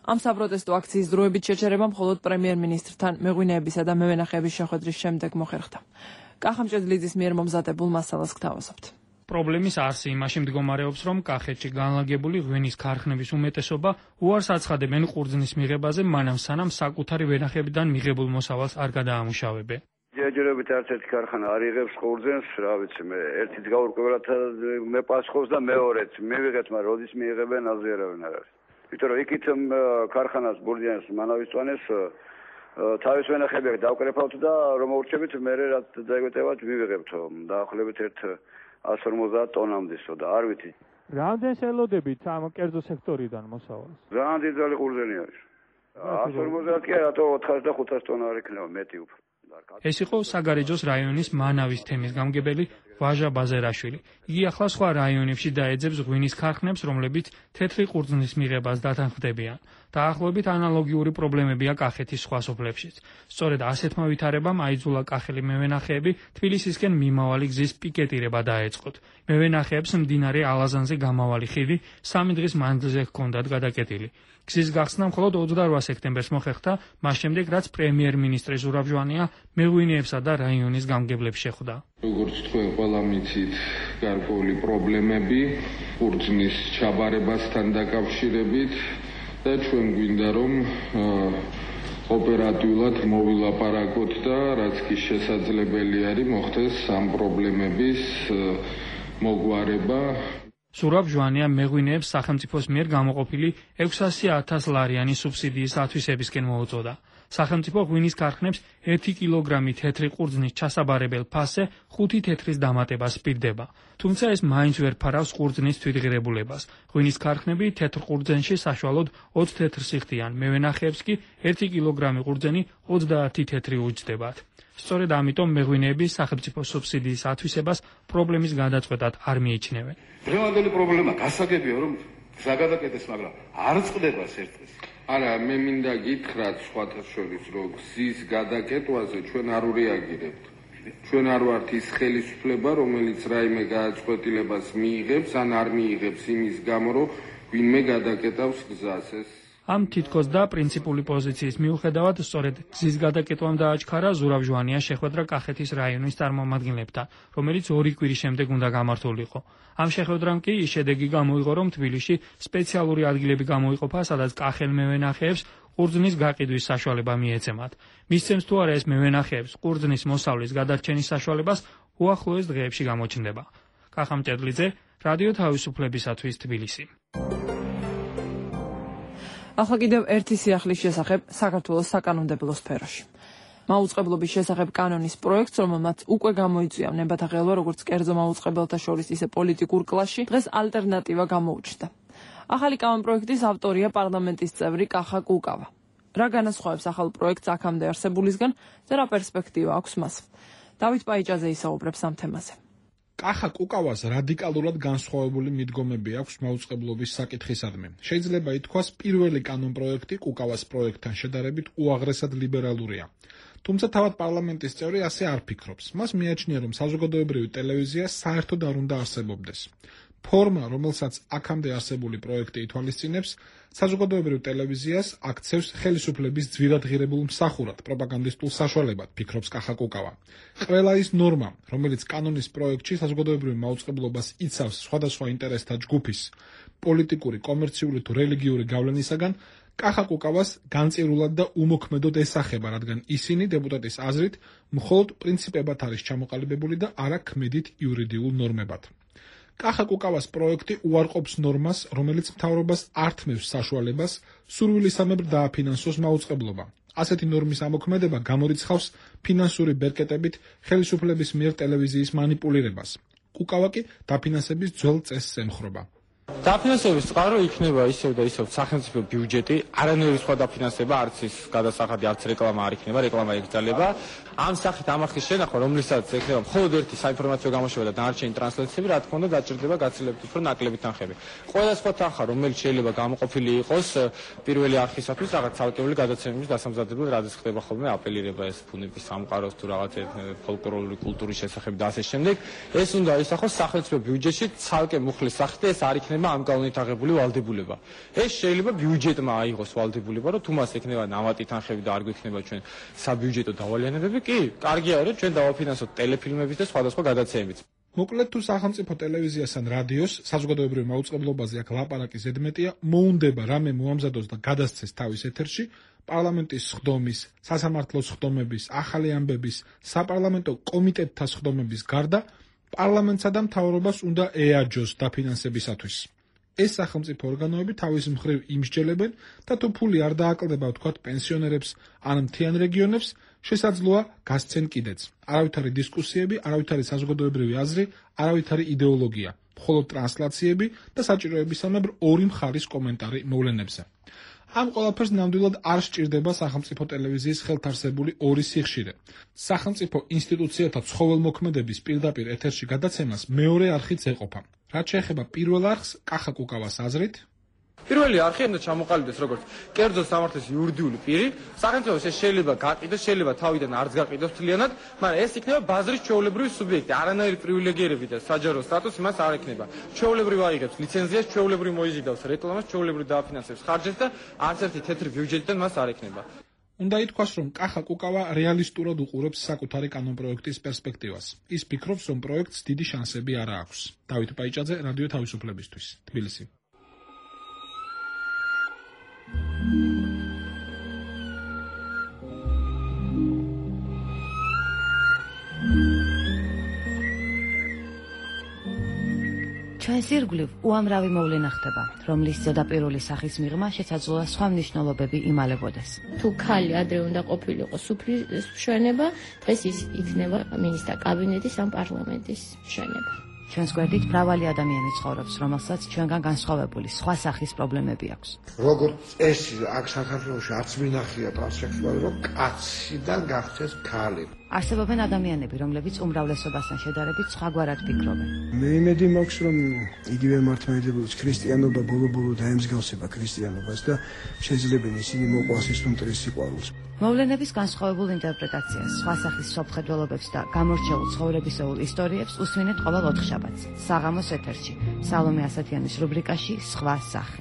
ამ საპროტესტო აქციის დროებით შეჩერება მხოლოდ პრემიერ-მინისტრთან მეღვინეებისა და მევენახეების შეხვედრის შემდეგ მოხერხდა. კახამჭედლიძის მიერ მომზადებულ მასალას გთავაზობთ. პრობლემის არსი იმაში მდგომარეობს, რომ კახეთში განლაგებული ღვინის ქარხნების უმეტესობა უარს აცხადებენ ყურძნის მიღებაზე, მანამ სანამ საკუთარი ვენახებიდან მიღებულ მოსავალს არ გადაამუშავებენ. ჯერჯერობით არც ერთი ქარხანა არ იღებს ყურძენს, რა ვიცი მე, ერთით გაურკვევლად მე პასუხობს და მეორეც მივიღეთ, მაგრამ როდის მიიღებენ, აზე არავინ არ არის. იმიტომ რომ იქით ქარხანას ბურჯიანს მანავისწვანეს თავის ვენახები დავკრეფავთ და რომ მოურჩებით მე რა დაგვეტევათ მივიღებთ დაახლოებით ერთ ას ორმოცდაათ ტონამდესო და არ ვიცი რამდენს ელოდებით ამ კერძო სექტორიდან მოსავალს რამდენი ძალი ყურძენი არის ას ორმოცდაათ კი რატო ოთხას და ხუთას ტონა არ იქნება მეტი უფრო ეს იყო საგარეჯოს რაიონის მანავის თემის გამგებელი ვაჟა ბაზერაშვილი. იგი ახლა სხვა რაიონებში დაეძებს ღვინის ქარხნებს, რომლებიც თეთრი ყურძნის მიღებას დათანხმდებიან. დაახლოებით ანალოგიური პრობლემებია კახეთის სხვა სოფლებშიც. სწორედ ასეთმა ვითარებამ აიძულა კახელი მევენახეები თბილისისკენ მიმავალი გზის პიკეტირება დაეწყოთ. მევენახეებს მდინარე ალაზანზე გამავალი ხიდი სამი დღის მანძილზე ჰქონდათ გადაკეტილი. გზის გახსნა მხოლოდ ოცდარვა სექტემბერს მოხერხდა, მას შემდეგ რაც პრემიერ-მინისტრი ზურაბ ჟვანია მეღვინეებსა და რაიონის გამგებლებს შეხვდა. როგორც თქვენ ყველა მიცით, გარკვეული პრობლემები ყურძნის ჩაბარებასთან დაკავშირებით და ჩვენ გვინდა რომ ოპერატიულად მოვილაპარაკოთ და რაც კი შესაძლებელი არის მოხდეს ამ პრობლემების მოგვარება. ზურაბ ჟვანია მეღვინეებს სახელმწიფოს მიერ გამოყოფილი ექვსასი ათას ლარიანი სუბსიდიის ათვისებისკენ მოუწოდა. სახელმწიფო ღვინის ქარხნებს ერთი კილოგრამი თეთრი ყურძნის ჩასაბარებელ ფასზე ხუთი თეთრის დამატებას სპირდება. თუმცა ეს მაინც ვერ ფარავს ყურძნის თვითღირებულებას. ღვინის ქარხნები თეთრ ყურძენში საშუალოდ ოცი თეთრს იხდიან, მევენახეებს კი ერთი კილოგრამი ყურძენი ოცდაათი თეთრი უჯდებათ. სწორედ ამიტომ მეღვინეები სახელმწიფო სუბსიდიის ათვისებას პრობლემის გადაწყვეტად არ მიიჩნევენ. დღევანდელი პრობლემა გასაგებია რომ ზაგადაკეთეს, მაგრამ არ წყდება ერთდღეს. არა, მე მინდა გითხრათ სხვათა შორის, რომ გზის გადაკეტვაზე ჩვენ არ ვრეაგირებთ. ჩვენ არ ვართ ის ხელისუფლება, რომელიც რაიმე გადაწყვეტილებას მიიღებს ან არ მიიღებს იმის გამო, რომ ვინმე გადაკეტავს გზას. ეს ამ თითქოს და პრინციპული პოზიციის მიუხედავად, სწორედ გზის გადაკეტვამ დააჩქარა ზურაბ ჟვანიას შეხვედრა კახეთის რაიონის წარმომადგენლებთან, რომელიც ორი კვირის შემდეგ უნდა გამართულიყო. ამ შეხვედრამ კი ის შედეგი გამოიღო, რომ თბილისში სპეციალური ადგილები გამოიყოფა, სადაც კახელ მევენახეებს ყურძნის გაყიდვის საშუალება მიეცემათ. მისცემს თუ არა ეს მევენახეებს ყურძნის მოსავლის გადარჩენის საშუალებას უახლოეს დღეებში გამოჩნდება. კახა მჭედლიძე, რადიო თავისუფლებისათვის თბილისი. ახლა კიდევ ერთი სიახლის შესახებ საქართველოს საკანონმდებლო სფეროში. მაუწყებლობის შესახებ კანონის პროექტს, რომელმაც უკვე გამოიწვია ნებათა ღელვა როგორც კერძო მაუწყებელთა შორის, ისე პოლიტიკურ კლასში, დღეს ალტერნატივა გამოუჩნდა. ახალი კანონპროექტის ავტორია პარლამენტის წევრი კახა კუკავა. რა განასხვავებს ახალ პროექტს აქამდე არსებულისგან და რა პერსპექტივა აქვს მას? დავით პაიჭაძე ისაუბრებს ამ თემაზე. კახა კუკავას რადიკალურად განსხვავებული მიდგომები აქვს მაუწყებლობის საკითხისადმი. შეიძლება ითქვას, პირველი კანონპროექტი კუკავას პროექტთან შედარებით უაღრესად ლიბერალურია. თუმცა თავად პარლამენტის წევრი ასე არ ფიქრობს. მას მიაჩნია, რომ საზოგადოებრივი ტელევიზია საერთოდ არ უნდა არსებობდეს. ფორმა, რომელსაც აქამდე არსებული პროექტი ითვალისწინებს, საზოგადოებრივ ტელევიზიას აქცევს ხელისუფლების ძვირადღირებულ მსახურად, პროპაგანდისტულ საშუალებად, ფიქრობს კახა კუკავა. ყველა ის ნორმა, რომელიც კანონის პროექტში საზოგადოებრივ მაუწყებლობას იცავს სხვადასხვა ინტერესთა ჯგუფის, პოლიტიკური, კომერციული თუ რელიგიური გავლენისაგან, კახა კუკავას განწირულად და უმოქმედოდ ესახება, რადგან ისინი დეპუტატის აზრით მხოლოდ პრინციპებად არის ჩამოყალიბებული და არა ქმედით იურიდიულ ნორმებად. კახა კუკავას პროექტი უარყოფს ნორმას, რომელიც მთავრობას ართმევს საშუალებას სურვილისამებრ დააფინანსოს მაუწყებლობა. ასეთი ნორმის ამოქმედება გამორიცხავს ფინანსური ბერკეტებით ხელისუფლების მიერ ტელევიზიის მანიპულირებას. კუკავა კი დაფინანსების ძველ წესს ემხრობა. დაფინანსების წყარო იქნება ისევ და ისევ სახელმწიფო ბიუჯეტი, არანაირი სხვა დაფინანსება, არც ის გადასახადი, არც რეკლამა არ იქნება, რეკლამა ეკრძალება. ამ სახით ამ ახის შენახვა, რომლისაც ექნება მხოლოდ ერთი საინფორმაციო გამოშვება და დანარჩენი ტრანსლაციები, რა თქმა უნდა, დაჭირდება გაცილებით უფრო ნაკლები თანხები. ყველა სხვა თანხა, რომელიც შეიძლება გამოყოფილი იყოს პირველი არხისათვის, რაღაც ცალკეული გადაცემების დასამზადებლად, რადგან ხდება ხოლმე აპელირება ეს ფუნების სამყაროს თუ რაღაც ფოლკლორული კულტურის შესახებ და ასე შემდეგ, ეს უნდა ისახოს სახელმწიფო ბიუჯეტში ცალკე მუხლის სახით და ეს არ იქნება ამ კანონით აღებული ვალდებულება. ეს შეიძლება ბიუჯეტმა აიღოს ვალდებულება, რომ თუ მას ექნება ნამატი თანხები და არ გვექნება ჩვენ საბიუჯეტო დავალიანებები, კი, კარგია, რომ ჩვენ დავაფინანსოთ ტელეფილმების და სხვადასხვა გადაცემებიც. მოკლედ თუ სახელმწიფო ტელევიზიას ან რადიოს საზოგადოებრივ მაუწყებლობაზე აქ ლაპარაკი ზედმეტია, მოუნდება რამე მოამზადოს და გადასცეს თავის ეთერში, პარლამენტის სხდომის, სასამართლოს სხდომების, ახალი ამბების, საპარლამენტო კომიტეტთა სხდომების გარდა პარლამენტსა და მთავრობას უნდა ეაჯოს დაფინანსებისათვის. ეს სახელმწიფო ორგანოები თავის მხრივ იმსჯელებენ და თუ ფული არ დააკლდება ვთქვათ პენსიონერებს ან მთიან რეგიონებს, შესაძლოა გასცენ კიდეც. არავითარი დისკუსიები, არავითარი საზოგადოებრივი აზრი, არავითარი იდეოლოგია, მხოლოდ ტრანსლაციები და საჭიროებისამებრ ორი მხარის კომენტარი მოვლენებზე. ამ ყველაფერს ნამდვილად არ სჭირდება სახელმწიფო ტელევიზიის ხელთარსებული ორი სიხშირე. სახელმწიფო ინსტიტუციათა ცხოველმოქმედების პირდაპირ ეთერში გადაცემას მეორე არხიც ეყოფა. რაც შეეხება პირველ არხს, კახა კუკავას აზრით, პირველი არხი უნდა ჩამოყალიბდეს როგორც კერძო სამართლის იურიდიული პირი, სახელმწიფოს ეს შეიძლება გაყიდოს, შეიძლება თავიდან არც გაყიდოს მთლიანად, მაგრამ ეს იქნება ბაზრის ჩვეულებრივი სუბიექტი, არანაირი პრივილეგირები და საჯარო სტატუსი მას არ ექნება. ჩვეულებრივ აიღებს ლიცენზიას, ჩვეულებრივ მოიზიდავს რეკლამას, ჩვეულებრივ დააფინანსებს ხარჯებს და არც ერთი თეთრი ბიუჯეტიდან მას არ ექნება. უნდა ითქვას, რომ კახა კუკავა რეალისტურად უყურებს საკუთარი კანონპროექტის პერსპექტივას. ის ფიქრობს, რომ პროექტს დიდი შანსები არ აქვს. დავით პაიჭაძე, რადიო თავისუფლებისთვის, თბილისი. ჩვენს ირგვლივ უამრავი მოვლენა ხდება, რომლის ზედაპირული სახის მიღმა შესაძლოა სხვა მნიშვნელობები იმალებოდეს. თუ ქალი ადრე უნდა ყოფილიყო სუფრის მშვენება, დღეს ის იქნება მინისტრთა კაბინეტის ან პარლამენტის მშვენება. ჩვენს გვერდით მრავალი ადამიანი ცხოვრობს, რომელსაც ჩვენგან განსხვავებული სხვა სახის პრობლემები აქვს. როგორც წესი აქ საქართველოში არც მინახია ტრანსექსუალი, რომ კაციდან გახდეს ქალი. არსებობენ ადამიანები, რომლებიც უმრავლესობასთან შედარებით სხვაგვარად ფიქრობენ. მე იმედი მაქვს, რომ იგივე მართლმადიდებლობის ქრისტიანობა ბოლო-ბოლო დაემსგავსება ქრისტიანობას და შეიძლება ისინი მოყვას ის უმტრის სიყვარულს. მოვლენების განსხვავებულ ინტერპრეტაციას, სხვა სახის სოფხედველობებს და გამორჩეულ ცხოვრებისეულ ისტორიებს უსვინეთ ყოველ ოთხშაბათს, საღამოს ეთერში, სალომე ასათიანის რუბრიკაში სხვა სახე.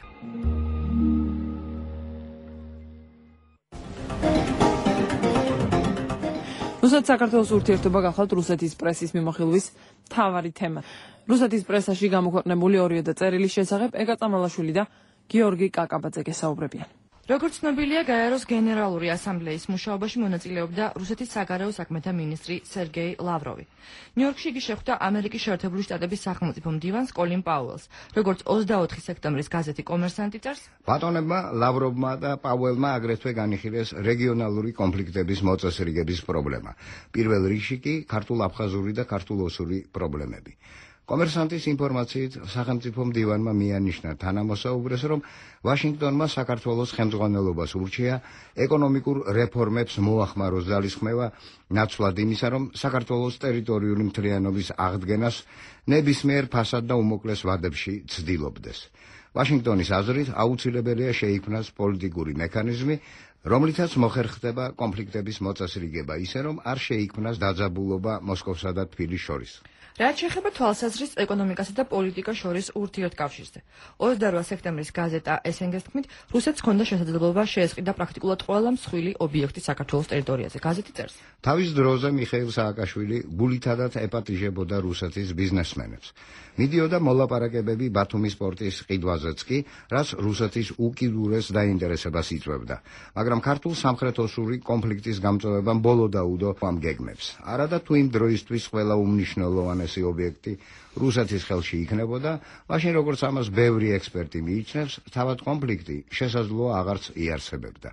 რუსეთ-საქართველოს ურთიერთობა გახლავთ რუსეთის პრესის მიმოხილვის მთავარი თემა. რუსეთის პრესაში გამოქვეყნებული ორივე წერილის შესახებ ეკა წამალაშვილი და გიორგი კაკაბაძე გესაუბრებიან. როგორც ცნობილია, გაეროს გენერალური ასამბლეის მუშაობაში მონაწილეობდა რუსეთის საგარეო საქმეთა მინისტრი სერგეი ლავროვი. ნიუ-იორკში იგი შეხვდა ამერიკის შეერთებული შტატების სახელმწიფო მდივანს კოლინ პაუელს. როგორც ოცდაოთხი სექტემბრის გაზეთი კომერსანტი წერს, ბატონებმა ლავროვმა და პაუელმა აგრეთვე განიხილეს რეგიონალური კონფლიქტების მოწესრიგების პრობლემა. პირველ რიგში კი ქართულ-აფხაზური და ქართულ-ოსური პრობლემები. კომერსანტის ინფორმაციით სახელმწიფო მდივანმა მიანიშნა თანამოსაუბრეს, რომ ვაშინგტონმა საქართველოს ხელმძღვანელობას ურჩია ეკონომიკურ რეფორმებს მოახმაროს ძალისხმევა, ნაცვლად იმისა, რომ საქართველოს ტერიტორიული მთლიანობის აღდგენას ნებისმიერ ფასად და უმოკლეს ვადებში ცდილობდეს. ვაშინგტონის აზრით აუცილებელია შეიქმნას პოლიტიკური მექანიზმი, რომლითაც მოხერხდება კონფლიქტების მოწესრიგება, ისე რომ არ შეიქმნას დაძაბულობა მოსკოვსა და თბილისს შორის. რაც შეეხება თვალსაზრისით ეკონომიკასა და პოლიტიკას შორის ურთიერთკავშირზე. ოცდარვა სექტემბრის გაზეტა ესენგეს თქმით, რუსეთს ჰქონდა შესაძლებლობა შეესყიდა პრაქტიკულად ყველა მსხვილი ობიექტი საქართველოს ტერიტორიაზე. გაზეთი წერს. თავის დროზე მიხეილ სააკაშვილი გულითადად ეპატიჟებოდა რუსეთის ბიზნესმენებს. მიდიოდა მოლაპარაკებები ბათუმის პორტის ყიდვაზეც კი, რაც რუსეთის უკიდურეს დაინტერესებას იწვევდა. მაგრამ ქართულ სამხრეთ-ოსური კონფლიქტის გამწვევებამ ბოლო დაუდო ამ გეგმებს. არადა თუ იმ დროისთვის ყველა უმნიშვნელოვანესი ობიექტი რუსეთის ხელში იქნებოდა, მაშინ როგორც ამას ბევრი ექსპერტი მიიჩნევს, თავად კონფლიქტი შესაძლოა აღარც იარსებებდა.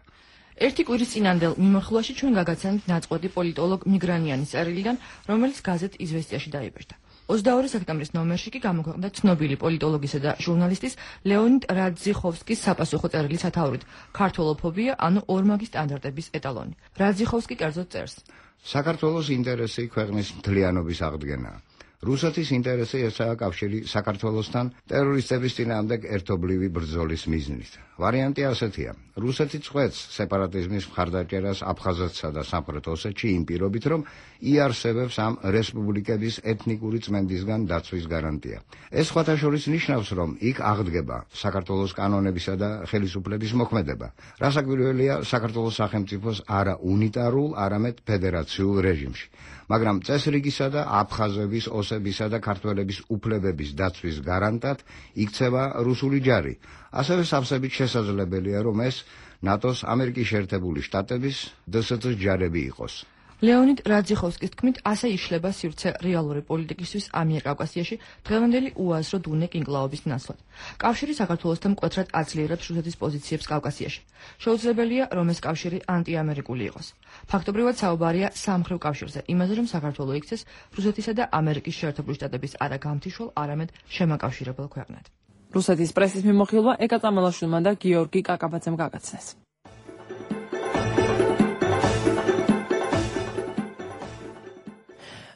ერთი კვირის წინანდელ მიმოხილვაში ჩვენ გაგაცანით ნაწყვეტი პოლიტოლოგ მიგრანიანის წერილიდან, რომელიც გაზეთ იზვესტიაში დაიბეჭდა. ოცდაორი სექტემბრის ნომერში კი გამოქვეყნდა ცნობილი პოლიტოლოგისა და ჟურნალისტის ლეონიდ რაძიხოვსკის საპასუხო წერილი სათაურით ქართველოფობია, ანუ ორმაგი სტანდარტების ეტალონი. რაძიხოვსკი კერძოდ წერს: საქართველოს ინტერესი ქვეყნის მთლიანობის აღდგენაა. რუსეთის ინტერესი ესაა კავშირი საქართველოსთან ტერორისტების წინააღმდეგ ერთობლივი ბრძოლის მიზნით. ვარიანტი ასეთია: რუსეთი წყვეტს სეპარატიზმის მხარდაჭერას აფხაზეთსა და სამხრეთ ოსეთში იმ პირობით, რომ იარსებებს ამ რესპუბლიკების ეთნიკური წმენდისგან დაცვის გარანტია. ეს სხვათა შორის ნიშნავს, რომ იქ აღდგება საქართველოს კანონებისა და ხელისუფლების მოქმედება. რასაკვირველია, საქართველოს სახელმწიფოს არა უნიტარულ, არამედ ფედერაციულ რეჟიმში. მაგრამ წესრიგისა და აფხაზების, ოსებისა და ქართველების უფლებების დაცვის გარანტად იქცევა რუსული ჯარი. ასევე სავსებით შესაძლებელია, რომ ეს ნატოს, ამერიკის შეერთებული შტატების და დსთ ჯარები იყოს. ლეონიდ რაძიხოვსკის თქმით, ასე იშლება სივრცე რეალური პოლიტიკისთვის ამიერკავკასიაში დღევანდელი უაზრო დუნე კინკლაობის ნაცვლად. კავშირი საქართველოსთან მკვეთრად აძლიერებს რუსეთის პოზიციებს კავკასიაში. შეუძლებელია, რომ ეს კავშირი ანტიამერიკული იყოს. ფაქტობრივად საუბარია სამხრივ კავშირზე, იმაზე, რომ საქართველო იქცეს რუსეთისა და ამერიკის შეერთებული შტატების არა გამთიშვალ, არამედ შემაკავშირებელ ქვეყნად. რუსეთის პრესის მიმოხილვა ეკა წამალაშვილმა და გიორგი კაკაბაძემ გაგაცნეს.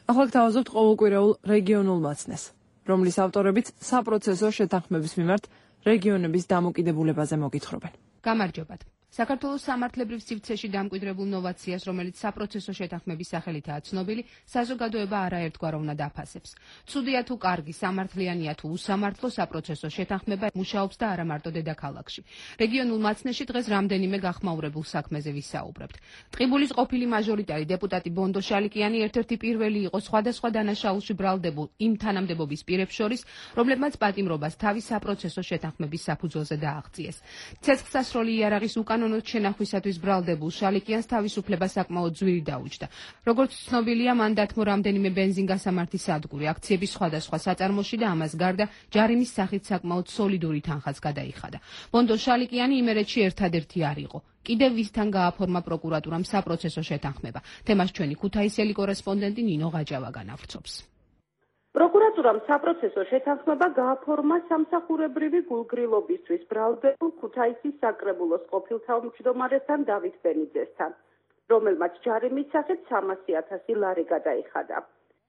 ახლა გთავაზობთ ყოველკვირეულ რეგიონულ მაცნეს, რომლის ავტორებიც საპროცესო შეთანხმების მიმართ რეგიონების დამოკიდებულებაზე მოგითხრობენ. გამარჯობათ. საქართველოს სამართლებრივ სივრცეში დამკვიდრებულ ნოვაციას, რომელიც საპროცესო შეთანხმების სახელითაა ცნობილი, საზოგადოება არაერთგვაროვნად უნდა დაფასებს. ცუდია თუ კარგი, სამართლიანია თუ უსამართლო, საპროცესო შეთანხმება მუშაობს და არა მარტო დედაქალაქში. რეგიონულ მაცნეში დღეს რამდენიმე გახმაურებულ საქმეზე ვისაუბრებთ. ტყიბულის ყოფილი მაჟორიტარი დეპუტატი ბონდო შალიკიანი ერთ-ერთი პირველი იყო სხვადასხვა დანაშაულში ბრალდებულ იმ თანამდებობის პირებს შორის, რომლებმაც პატიმრობას თავის საპროცესო შეთანხმების საფუძველზე დააღწიეს. ცეცხლსასროლი იარაღის უკანონოდ შენახვისათვის ბრალდებულ შალიკიანს თავისუფლება საკმაოდ ძვირი დაუჯდა. როგორც ცნობილია, მან დათმო რამდენიმე ბენზინგასამართი სადგური, აქციების სხვადასხვა საწარმოში და ამას გარდა ჯარიმის სახით საკმაოდ სოლიდური თანხაც გადაიხადა. ბონდო შალიკიანი იმერეთში ერთადერთი არ იყო. კიდევ ვისთან გააფორმა პროკურატურამ საპროცესო შეთანხმება. თემას ჩვენი ქუთაისელი კორესპონდენტი ნინო ღაჯავა განავრცობს. პროკურატურამ საპროცესო შეთანხმება გააფორმა სამსახურებრივი გულგრილობისთვის ბრალდებულ ქუთაისის საკრებულოს ყოფილ თავმჯდომარესთან დავით ბენიძესთან, რომელმაც ჯარიმის სახით სამასი ათასი ლარი გადაიხადა.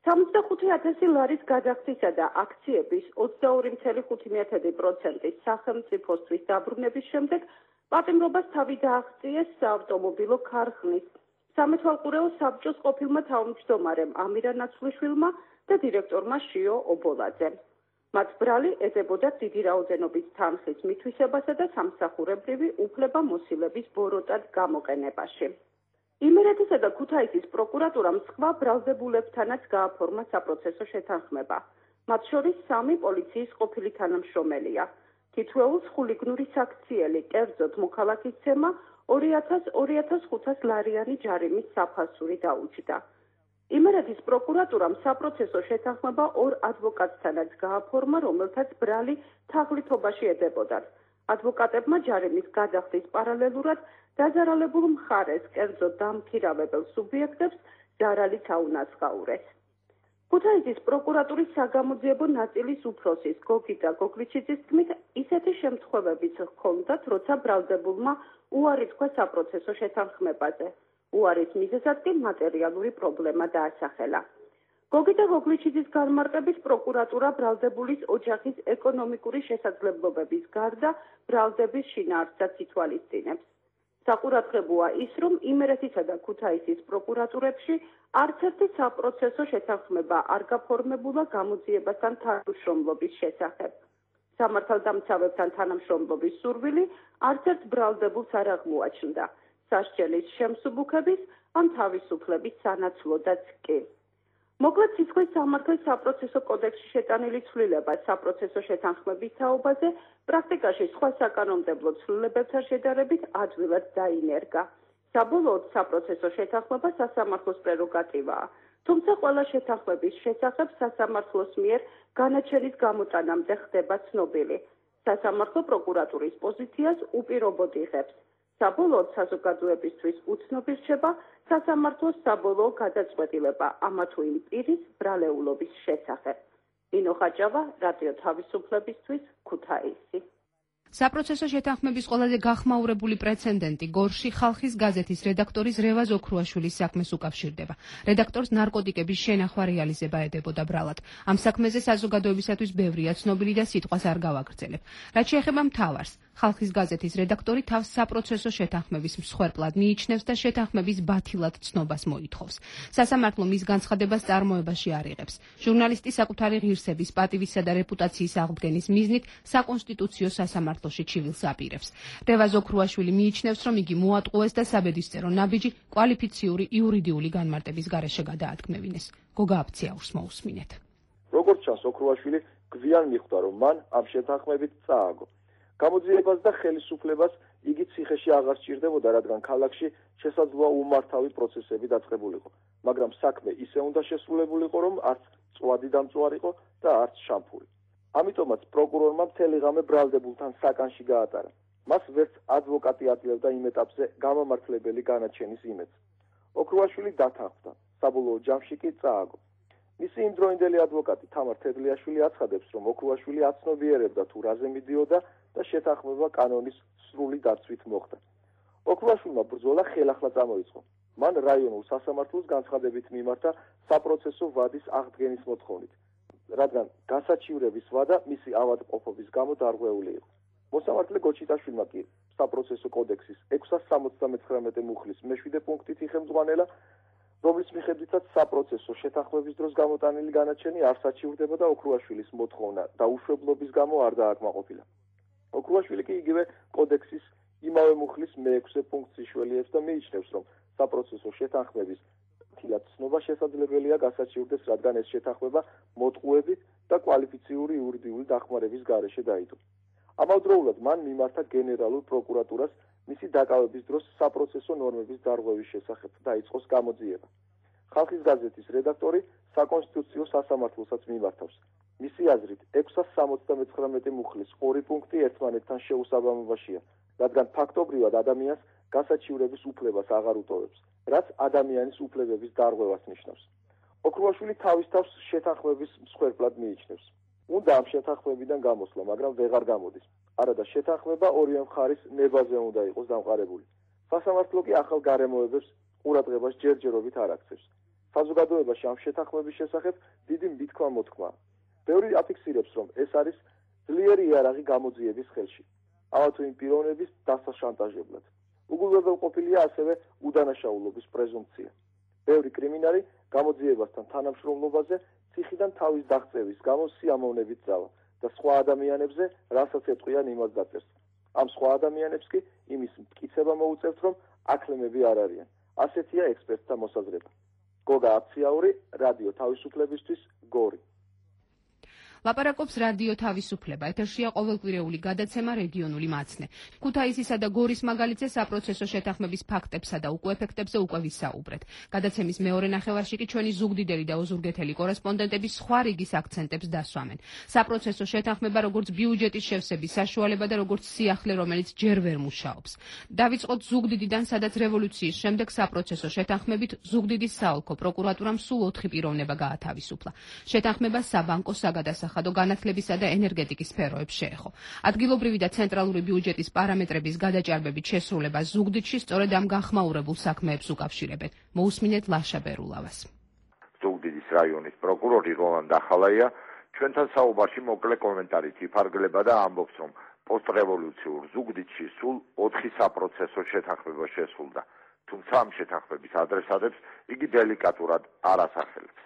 სამოცდახუთი ათასი ლარის გადახდისა და აქციების ოცდაორი წუთი ხუთი პროცენტის სახელმწიფოსთვის დაბრუნების შემდეგ პატიმრობას თავი დააღწიეს საავტომობილო ქარხნის სამეთვალყურეო საბჭოს ყოფილმა თავმჯდომარემ ამირა ნაცვლიშვილმა და დირექტორმა შიო ობოლაძემ. მათ ბრალი ეძებოდა დიდი რაოდენობის თანხის მითვისებასა და სამსახურებრივი უფლება-მოსილების ბოროტად გამოყენებაში. იმერეთისა და ქუთაისის პროკურატურამ სხვა ბრალდებულებთანაც გააფორმა საპროცესო შეთანხმება. მათ შორის სამი პოლიციის ყოფილი თანამშრომელია. თითოეულს ხულიგნური საქციელი, კერძოდ მოქალაქისცემა ორი ათას ხუთას ლარიანი ჯარიმის საფასური დაუჯდა. იმერეთის პროკურატურამ საპროცესო შეთანხმება ორ ადვოკატთანაც გააფორმა, რომელთაც ბრალი თაღლითობაში ედებოდათ. ადვოკატებმა ჯარიმის გადახდის პარალელურად დაზარალებულ მხარეს, კერძოდ დამქირავებელ სუბიექტებს ზარალიც აუნაცღაურეს. ქუთაისის პროკურატურის საგამოძიებო ნაწილის უფროსის გოგიტა გოგლიჩიძის თქმით, ისეთი შემთხვევებიც ჰქონდათ, როცა ბრალდებულმა უარი თქვა საპროცესო შეთანხმებაზე. უარის მიზეზად კი მატერიალური პრობლემა დაასახელა. გოგიტა გოგლიჩიძის განმარტებით პროკურატურა ბრალდებულის ოჯახის ეკონომიკური შესაძლებლობების გარდა ბრალდების შინაარსსაც ითვალისწინებს. საყურადღებოა ის, რომ იმერეთისა და ქუთაისის პროკურატურებში არც ერთი საპროცესო შეთანხმება არ გაფორმებულა გამოძიებასთან თანამშრომლობის შესახებ. სამართალდამცავებთან თანამშრომლობის სურვილი არც ერთ ბრალდებულს არ აღმოაჩნდა. სასჯელის შემსუბუქების ან თავისუფლების სანაცვლოდაც კი. მოკლედ სისხლის სამართლის საპროცესო კოდექსში შეტანილი ცვლილება საპროცესო შეთანხმების თაობაზე პრაქტიკაში სხვა საკანონმდებლო ცვლილებებთან შედარებით ადვილად დაინერგა. საბოლოოდ საპროცესო შეთანხმება სასამართლოს პრეროგატივაა, თუმცა ყველა შეთანხმების შესახებ სასამართლოს მიერ განაჩენის გამოტანამდე ხდება ცნობილი. სასამართლო პროკურატურის პოზიციას უპირობოდ იღებს. საბოლოოდ საზოგადოებისთვის უცნობი რჩება სასამართლოს საბოლოო გადაწყვეტილება ამა თუ იმ პირის ბრალეულობის შესახებ. ნინო ხაჭავა, რადიო თავისუფლებისთვის, ქუთაისი. საპროცესო შეთანხმების ყველაზე გახმაურებული პრეცედენტი გორში ხალხის გაზეთის რედაქტორის რევაზ ოქრუაშვილის საქმეს უკავშირდება. რედაქტორს ნარკოტიკების შენახვა რეალიზება ედებოდა ბრალად. ამ საქმეზე საზოგადოებისათვის ბევრია ცნობილი და სიტყვას არ გავაგრძელებ. რაც შეეხება მთავარს, ხალხის გაზეთის რედაქტორი თავს საპროცესო შეთანხმების მსხვერპლად მიიჩნევს და შეთანხმების ბათილად ცნობას მოითხოვს. სასამართლო მის განცხადებას წარმოებაში არ იღებს. ჟურნალისტი საკუთარი ღირსების, პატივისა და რეპუტაციის აღდგენის მიზნით საკონსტიტუციო სასამართლოში ჩივილს აპირებს. რევაზ ოქრუაშვილი მიიჩნევს, რომ იგი მოატყუეს და საბედისწერო ნაბიჯი კვალიფიციური იურიდიული განმარტების გარეშე გადაადგმევინეს. გოგა აფციაურს მოусმინეთ. როგორც ჩანს, ოქრუაშვილი გვიან მიხვდა, რომ მან ამ შეთანხმებით წააგო. გამოძიებას და ხელისუფლებას იგი ციხეში აღარ სჭირდებოდა, რადგან ქალაქში შესაძლოა უმართავი პროცესები დაწყებულიყო, მაგრამ საქმე ისე უნდა შესრულებულიყო, რომ არც წვადი დამწვარიყო და არც შამფური. ამიტომაც პროკურორმა მთელი ღამე ბრალდებულთან საკანში გაატარა. მას ვერც ადვოკატი აწევდა იმ ეტაპზე გამამართლებელი განაჩენის იმედს. ოქრუაშვილი დათანხმდა, საბოლოო ჯამში კი წააგო. მისი იმდროინდელი ადვოკატი თამარ თედლიაშვილი აცხადებს, რომ ოქრუაშვილი აცნობიერებდა თუ რაზე მიდიოდა და შეთანხმება კანონის სრული დაცვით მოხდა. ოქრუაშვილმა ბრძოლა ხელახლა წამოიწყო. მან რაიონულ სასამართლოს განცხადებით მიმართა საპროცესო ვადის აღდგენის მოთხოვნით, რადგან გასაჩივრების ვადა მისი ავადმყოფობის გამო დარღვეული იყო. მოსამართლე გოჩიტაშვილმა კი საპროცესო კოდექსის ექვსას სამოცდამეცხრამეტე მუხლის მეშვიდე პუნქტით იხელმძღვანელა, რომლის მიხედვითაც საპროცესო შეთანხმების დროს გამოტანილი განაჩენი არ საჩივრდება და ოქრუაშვილის მოთხოვნა დაუშვებლობის გამო არ დააკმაყოფილა. ოქრუაშვილი კი იგივე კოდექსის იმავე მუხლის მეექვსე პუნქტს იშველიებს და მიიჩნევს, რომ საპროცესო შეთანხმების თილად ცნობა შესაძლებელია გასაჩივრდეს, რადგან ეს შეთანხმება მოტყუებით და კვალიფიციური იურიდიული დახმარების გარეშე დაიდო. ამავდროულად მან მიმართა გენერალურ პროკურატურას მისი დაკავების დროს საპროცესო ნორმების დარღვევის შესახებ დაიწყოს გამოძიება. ხალხის გაზეთის რედაქტორი საკონსტიტუციო სასამართლოსაც მიმართავს. მისი აზრით, ექვსას სამოცდამეცხრამეტე მუხლის ორი პუნქტი ერთმანეთთან შეუსაბამობაშია, რადგან ფაქტობრივად ადამიანს გასაჩივრების უფლებას აღარ უტოვებს, რაც ადამიანის უფლებების დარღვევას ნიშნავს. ოქრუაშვილი თავის თავს შეთანხმების მსხვერპლად მიიჩნევს. უნდა ამ შეთანხმებიდან გამოსვლა, მაგრამ ვეღარ გამოდის. არადა შეთანხმება ორივე მხარის ნებაზე უნდა იყოს დამყარებული. სასამართლო კი ახალ გარემოებებს ყურადღებას ჯერჯერობით არ აქცევს. საზოგადოებაში ამ შეთანხმების შესახებ დიდი მითქმა მოთქმაა. ბევრი აფიქსირებს, რომ ეს არის ძლიერი იარაღი გამოძიების ხელში, ამა თუ იმ პიროვნების დასაშანტაჟებლად. უგულვებელყოფილია ასევე უდანაშაულობის პრეზუმპცია. ბევრი კრიმინალი გამოძიებასთან თანამშრომლობაზე ციხიდან თავის დაღწევის გამო სიამოვნებით ძალა და სხვა ადამიანებზე, რასაც ეტყვიან, იმას დაწერს. ამ სხვა ადამიანებს კი იმის მტკიცება მოუწევთ, რომ აკლემები არ არიან. ასეთია ექსპერტთა მოსაზრება. გოგა აფციაური, რადიო თავისუფლებისთვის, გორი. ლაპარაკობს რადიო თავისუფლება. ეთერშია ყოველკვირეული გადაცემა რეგიონული მაცნე. ქუთაისისა და გორის მაგალითზე საპროცესო შეთანხმების ფაქტებსა და უკვე ეფექტებზე უკვე ვისაუბრეთ. გადაცემის მეორე ნახევარში კი ჩვენი ზუგდიდელი და ოზურგეთელი კორესპონდენტები სხვა რიგის აქცენტებს დასვამენ. საპროცესო შეთანხმება როგორც ბიუჯეტის შევსების საშუალება და როგორც სიახლე, რომელიც ჯერ ვერ მუშაობს. დავიწყოთ ზუგდიდიდან, სადაც რევოლუციის შემდეგ საპროცესო შეთანხმებით ზუგდიდის საოლქო პროკურატურამ სულ ოთხი პიროვნება გაათავისუფლა. შეთანხმება საბანკო, საგადასახადო განათლებისა და ენერგეტიკის სფეროებს შეეხო. ადგილობრივი და ცენტრალური ბიუჯეტის პარამეტრების გადაჭარბებით შესრულება ზუგდიდში სწორედ ამ განხმაურებულ საქმეებს უკავშირებენ. მოусმინეთ ლაშა ბერულავას. ზუგდიდის რაიონის პროკურორი როლან დახალაია ჩვენთან საუბარში მოკლე კომენტარით იფარგლება და ამბობს, რომ პოსტრევოლუციურ ზუგდიდში სულ ოთხი საპროცესო შეთანხმება შესრულდა, თუმცა ამ შეთანხმების ადრესატებს იგი დელიკატურად არ ასახელებს.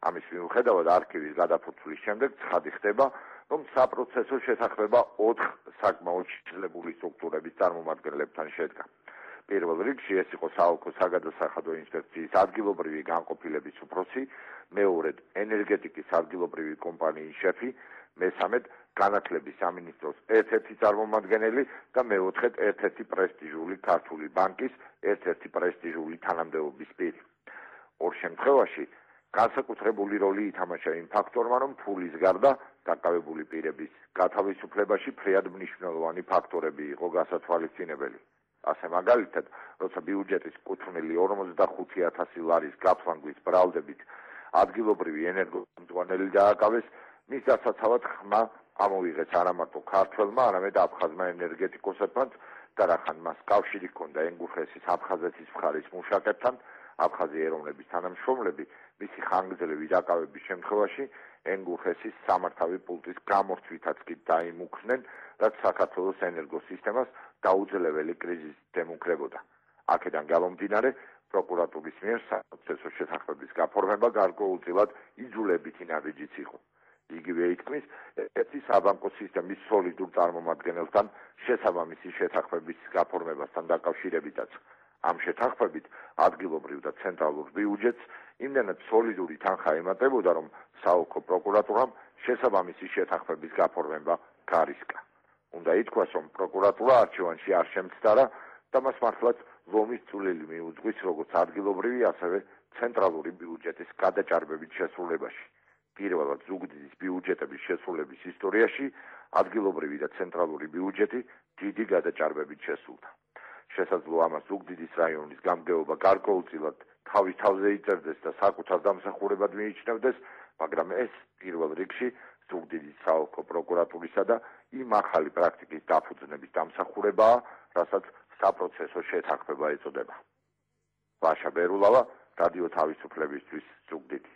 ამის მიუხედავად არქივის გადაფურცვლის შემდეგ ცხადი ხდება, რომ საპროცესო შეთანხმება ოთხ საკმაოდ შესაძლებელი სტრუქტურების წარმომადგენლებთან შედგა. პირველ რიგში ეს იყო საოლქო საგადასახადო ინსპექციის ადგილობრივი განყოფილების უფროსი, მეორედ ენერგეტიკის ადგილობრივი კომპანიის შეფი, მესამედ განათლების სამინისტროს ერთ-ერთი წარმომადგენელი და მეოთხედ ერთ-ერთი პრესტიჟული ქართული ბანკის ერთ-ერთი პრესტიჟული თანამდებობის პირი. ორ შემთხვევაში განსაკუთრებული როლი ითამაშა იმ ფაქტორმა, რომ ფულის გარდა დაკავებული პირების გათავისუფლებაში ფრიად მნიშვნელოვანი ფაქტორები იყო გასათვალისწინებელი. ასე მაგალითად, როცა ბიუჯეტის კუთვნილი ორმოცდახუთი ათასი ლარის გაფლანგვის ბრალდებით ადგილობრივი ენერგომძღვანელი დააკავეს, მის დასაცავად ხმა ამოვიღეს არა მარტო ქართველმა, არამედ აფხაზმა ენერგეტიკოსებმაც და რახან მას კავშირი ჰქონდა ენგურხესის აფხაზეთის მხარის მუშაკებთან, აფხაზი ეროვნების თანამშრომლები მისი ხანგრძლივი დაკავების შემთხვევაში ენგურხესის სამართავი პულტის გამორთვითაც კი დაიმუქრნენ, რაც საქართველოს ენერგოსისტემას დაუძლეველი კრიზისით ემუქრებოდა. აქედან გამომდინარე, პროკურატურის მიერ საპროცესო შეთანხმების გაფორმება გარკვეულწილად იძულებითი ნაბიჯიც იყო. იგივე ითქმის ერთი საბანკო სისტემის სოლიდურ წარმომადგენელთან შესაბამისი შეთანხმების გაფორმებასთან დაკავშირებითაც. ამ შეთანხმებით ადგილობრივ და ცენტრალურ ბიუჯეტს იმდენად სოლიდური თანხა ემატებოდა, რომ საოლქო პროკურატურამ შესაბამისი შეთანხმების გაფორმება გარისკა. უნდა ითქვას, რომ პროკურატურა არჩევანში არ შემცდარა და მას მართლაც ლომის წვლილი მიუძღვის როგორც ადგილობრივი, ასევე ცენტრალური ბიუჯეტის გადაჭარბებით შესრულებაში. პირველად ზუგდიდის ბიუჯეტების შესრულების ისტორიაში ადგილობრივი და ცენტრალური ბიუჯეტი დიდი გადაჭარბებით შესრულდა. შესაძლოა ამას ზუგდიდის რაიონის გამგეობა გარკვეულწილად თავის თავზე იწერდეს და საკუთარ დამსახურებად მიიჩნევდეს, მაგრამ ეს პირველ რიგში ზუგდიდის საოლქო პროკურატურისა და იმ ახალი პრაქტიკის დაფუძნების დამსახურებაა, რასაც საპროცესო შეთანხმება ეწოდება. ვაშა ბერულავა, რადიო თავისუფლებისთვის, ზუგდიდი.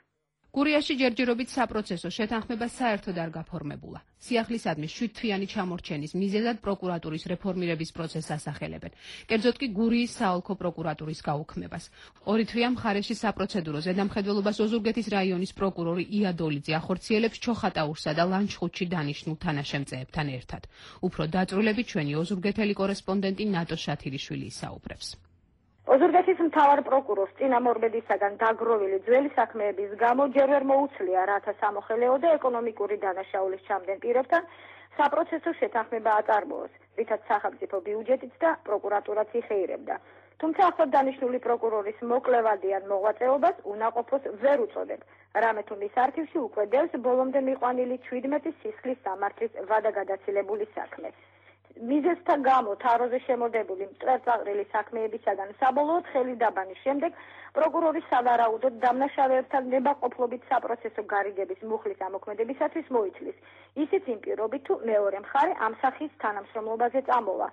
გურიაში ჯერჯერობით საპროცესო შეთანხმება საერთოდ არ გაფორმებულა. სიახლისადმი შვიდთვიანი ჩამორჩენის მიზეზად პროკურატურის რეფორმირების პროცესს ასახელებენ. კერძოდ კი გურიის საოლქო პროკურატურის გაუქმებას. ორი თვია მხარეში საპროცედურო ზედამხედველობას ოზურგეთის რაიონის პროკურორი იადოლიძე ახორციელებს ჩოხატაურსა და ლანჩხუთში დანიშნულ თანაშემწეებთან ერთად. უფრო დაწვრილებით ჩვენი ოზურგეთელი კორესპონდენტი ნატო შათირიშვილი ისაუბრებს. ოზურგეთის მთავარ პროკურორს წინამორბედისაგან დაგროვილი ძველი საქმეების გამო ჯერ ვერ მოუცლია რათა სამოხელეო და ეკონომიკური დანაშაულის ჩამდენ პირებთან საპროცესო შეთანხმება აწარმოოს, რითაც სახელმწიფო ბიუჯეტიც და პროკურატურაც იხეირებდა. თუმცა ახლად დანიშნული პროკურორის მოკლევადი ან მოღვაწეობას უნაყოფოს ვერ უწოდებ. რამე თუ მის არქივში უკვე დევს ბოლომდე მიყვანილი ჩვიდმეტი სისხლის სამართლის ვადაგადაცილებული საქმე. მიზეზთა გამო თაროზე შემოდებული მწვერწაყრილი საქმეებისაგან საბოლოოდ ხელის დაბანის შემდეგ პროკურორის სავარაუდოდ დამნაშავეებთან ნებაყოფლობით საპროცესო გარიგების მუხლის ამოქმედებისათვის მოითლის. ისიც იმ პირობით, თუ მეორე მხარე ამ სახის თანამშრომლობაზე წამოვა,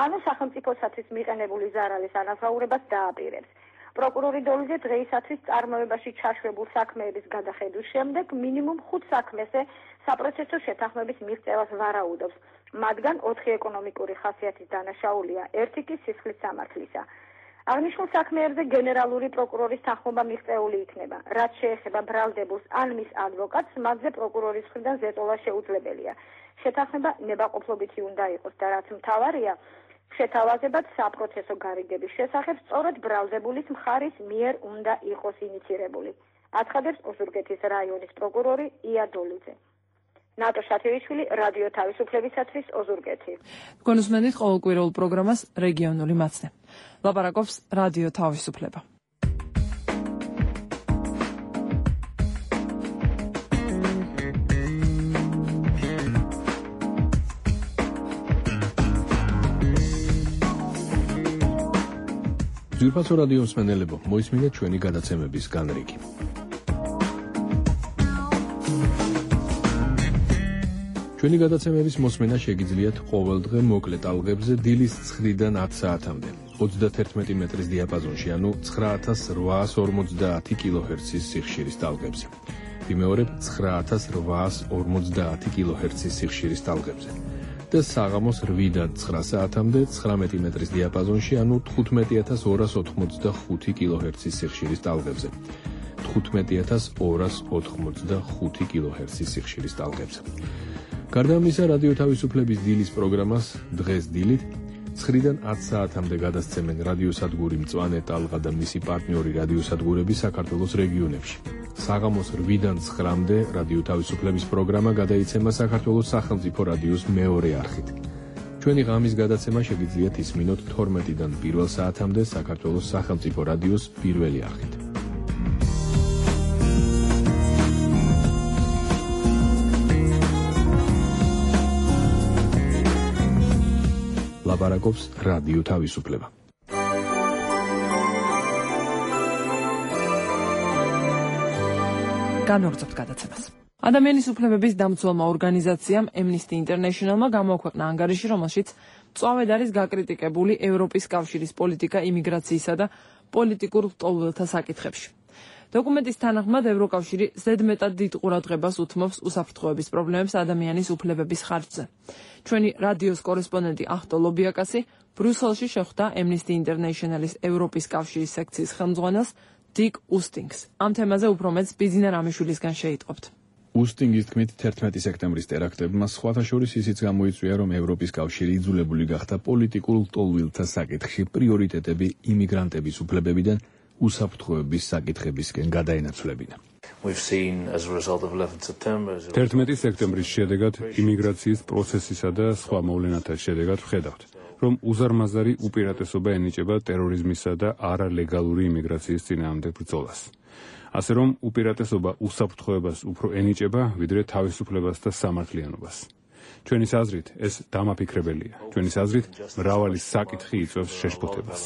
ანუ სახელმწიფოსათვის მიყენებული ზარალის ანაზღაურებას დააპირებს. პროკურორი დოლიძე დღეისათვის წარმოებაში ჩაშვებულ საქმეების გადახედვის შემდეგ მინიმუმ ხუთ საქმეზე საპროცესო შეთანხმების მიღწევას ვარაუდობს. მათგან ოთხი ეკონომიკური ხასიათის დანაშაულია, ერთი კი სისხლის სამართლისა. აღნიშნულ საქმეებზე გენერალური პროკურორის თანხმობა მიღწეული იქნება. რაც შეეხება ბრალდებულს ან მის ადვოკატს, მათზე პროკურორის მხრიდან ზეწოლა შეუძლებელია. შეთანხმება ნებაყოფლობითი უნდა იყოს და რაც მთავარია, შეთავაზებად საპროცესო გარიგების შესახებ სწორედ ბრალდებულის მხარის მიერ უნდა იყოს ინიცირებული. აცხადებს ოზურგეთის რაიონის პროკურორი იადოლიძე. ნატო შათირიშვილი, რადიო თავისუფლებისათვის, ოზურგეთი. გონუსმენით ყოველკვირეულ პროგრამას რეგიონული მაცნე. ლაპარაკობს რადიო თავისუფლება. ძვირფასო რადიო მსმენელებო, მოისმინეთ ჩვენი გადაცემების განრიგი. ჩვენი გადაცემების მოსმენა შეგიძლიათ ყოველდღე მოკლე ტალღებზე დილის ცხრიდან ათ საათამდე, ოცდათერთმეტი მეტრის დიაპაზონში, ანუ ცხრა ათას რვაას ორმოცდაათი კილოჰერცის სიხშირის ტალღებზე. ვიმეორებ, ცხრა ათას რვაას ორმოცდაათი კილოჰერცის სიხშირის ტალღებზე. და საღამოს რვიდან ცხრა საათამდე ცხრამეტი მეტრის დიაპაზონში, ანუ თხუთმეტი ათას ორას ოთხმოცდახუთი კილოჰერცის სიხშირის ტალღებზე. თხუთმეტი ათას ორას ოთხმოცდახუთი კილოჰერცის სიხშირის ტალღებზე. გარდა ამისა, რადიო თავისუფლების დილის პროგრამას დღეს დილით ცხრიდან ათ საათამდე გადასცემენ რადიოსადგური მწვანე ტალღა და მისი პარტნიორი რადიოსადგურები საქართველოს რეგიონებში. საღამოს რვიდან ცხრამდე რადიო თავისუფლების პროგრამა გადაიცემა საქართველოს სახელმწიფო რადიოს მეორე არხით. ჩვენი ღამის გადაცემა შეგიძლიათ ისმინოთ თორმეტიდან პირველ საათამდე საქართველოს სახელმწიფო რადიოს პირველი არხით. ლაპარაკობს რადიო თავისუფლება. განვაგრძობთ გადაცემას. ადამიანის უფლებების დამცველმა ორგანიზაციამ Amnesty International-მა გამოაქვეყნა ანგარიში, რომელშიც მწვავედ არის გაკრიტიკებული ევროპის კავშირის პოლიტიკა იმიგრაციისა და პოლიტიკურ ლტოლვილთა საკითხებში. დოკუმენტის თანახმად ევროკავშირი ზედმეტად დიდ ყურადღებას უთმობს უსაფრთხოების პრობლემებს ადამიანის უფლებების ხარჯზე. ჩვენი რადიოს კორესპონდენტი ახტო ლობიაკასი ბრიუსელში შეხვდა Amnesty International-ის ევროპის კავშირის სექციის ხელმძღვანელს დიკ უსტინგს. ამ თემაზე უფრო მეტს ბიძინა რამიშვილისგან შეიტყობთ. უსტინგის თქმით, თერთმეტი სექტემბრის ტერაქტებმა სხვათა შორის ისიც გამოიწვია, რომ ევროპის კავშირი იძულებული გახდა პოლიტიკურ ლტოლვილთა საკითხში პრიორიტეტები იმიგრანტების უფლებებიდან უსაფრთხოების საკითხებისკენ გადაენაცვლებინა. თერთმეტი სექტემბრის შედეგად იმიგრაციის პროცესისა და სხვა მოვლენათა შედეგად ვხედავთ, რომ უზარმაზარი უპირატესობა ენიჭება ტერორიზმისა და არალეგალური იმიგრაციის წინააღმდეგ ბრძოლას. ასე რომ უპირატესობა უსაფრთხოებას უფრო ენიჭება, ვიდრე თავისუფლებას და სამართლიანობას. ჩვენის აზრით ეს დამაფიქრებელია. ჩვენის აზრით მრავალი საკითხი იწვევს შეშფოთებას.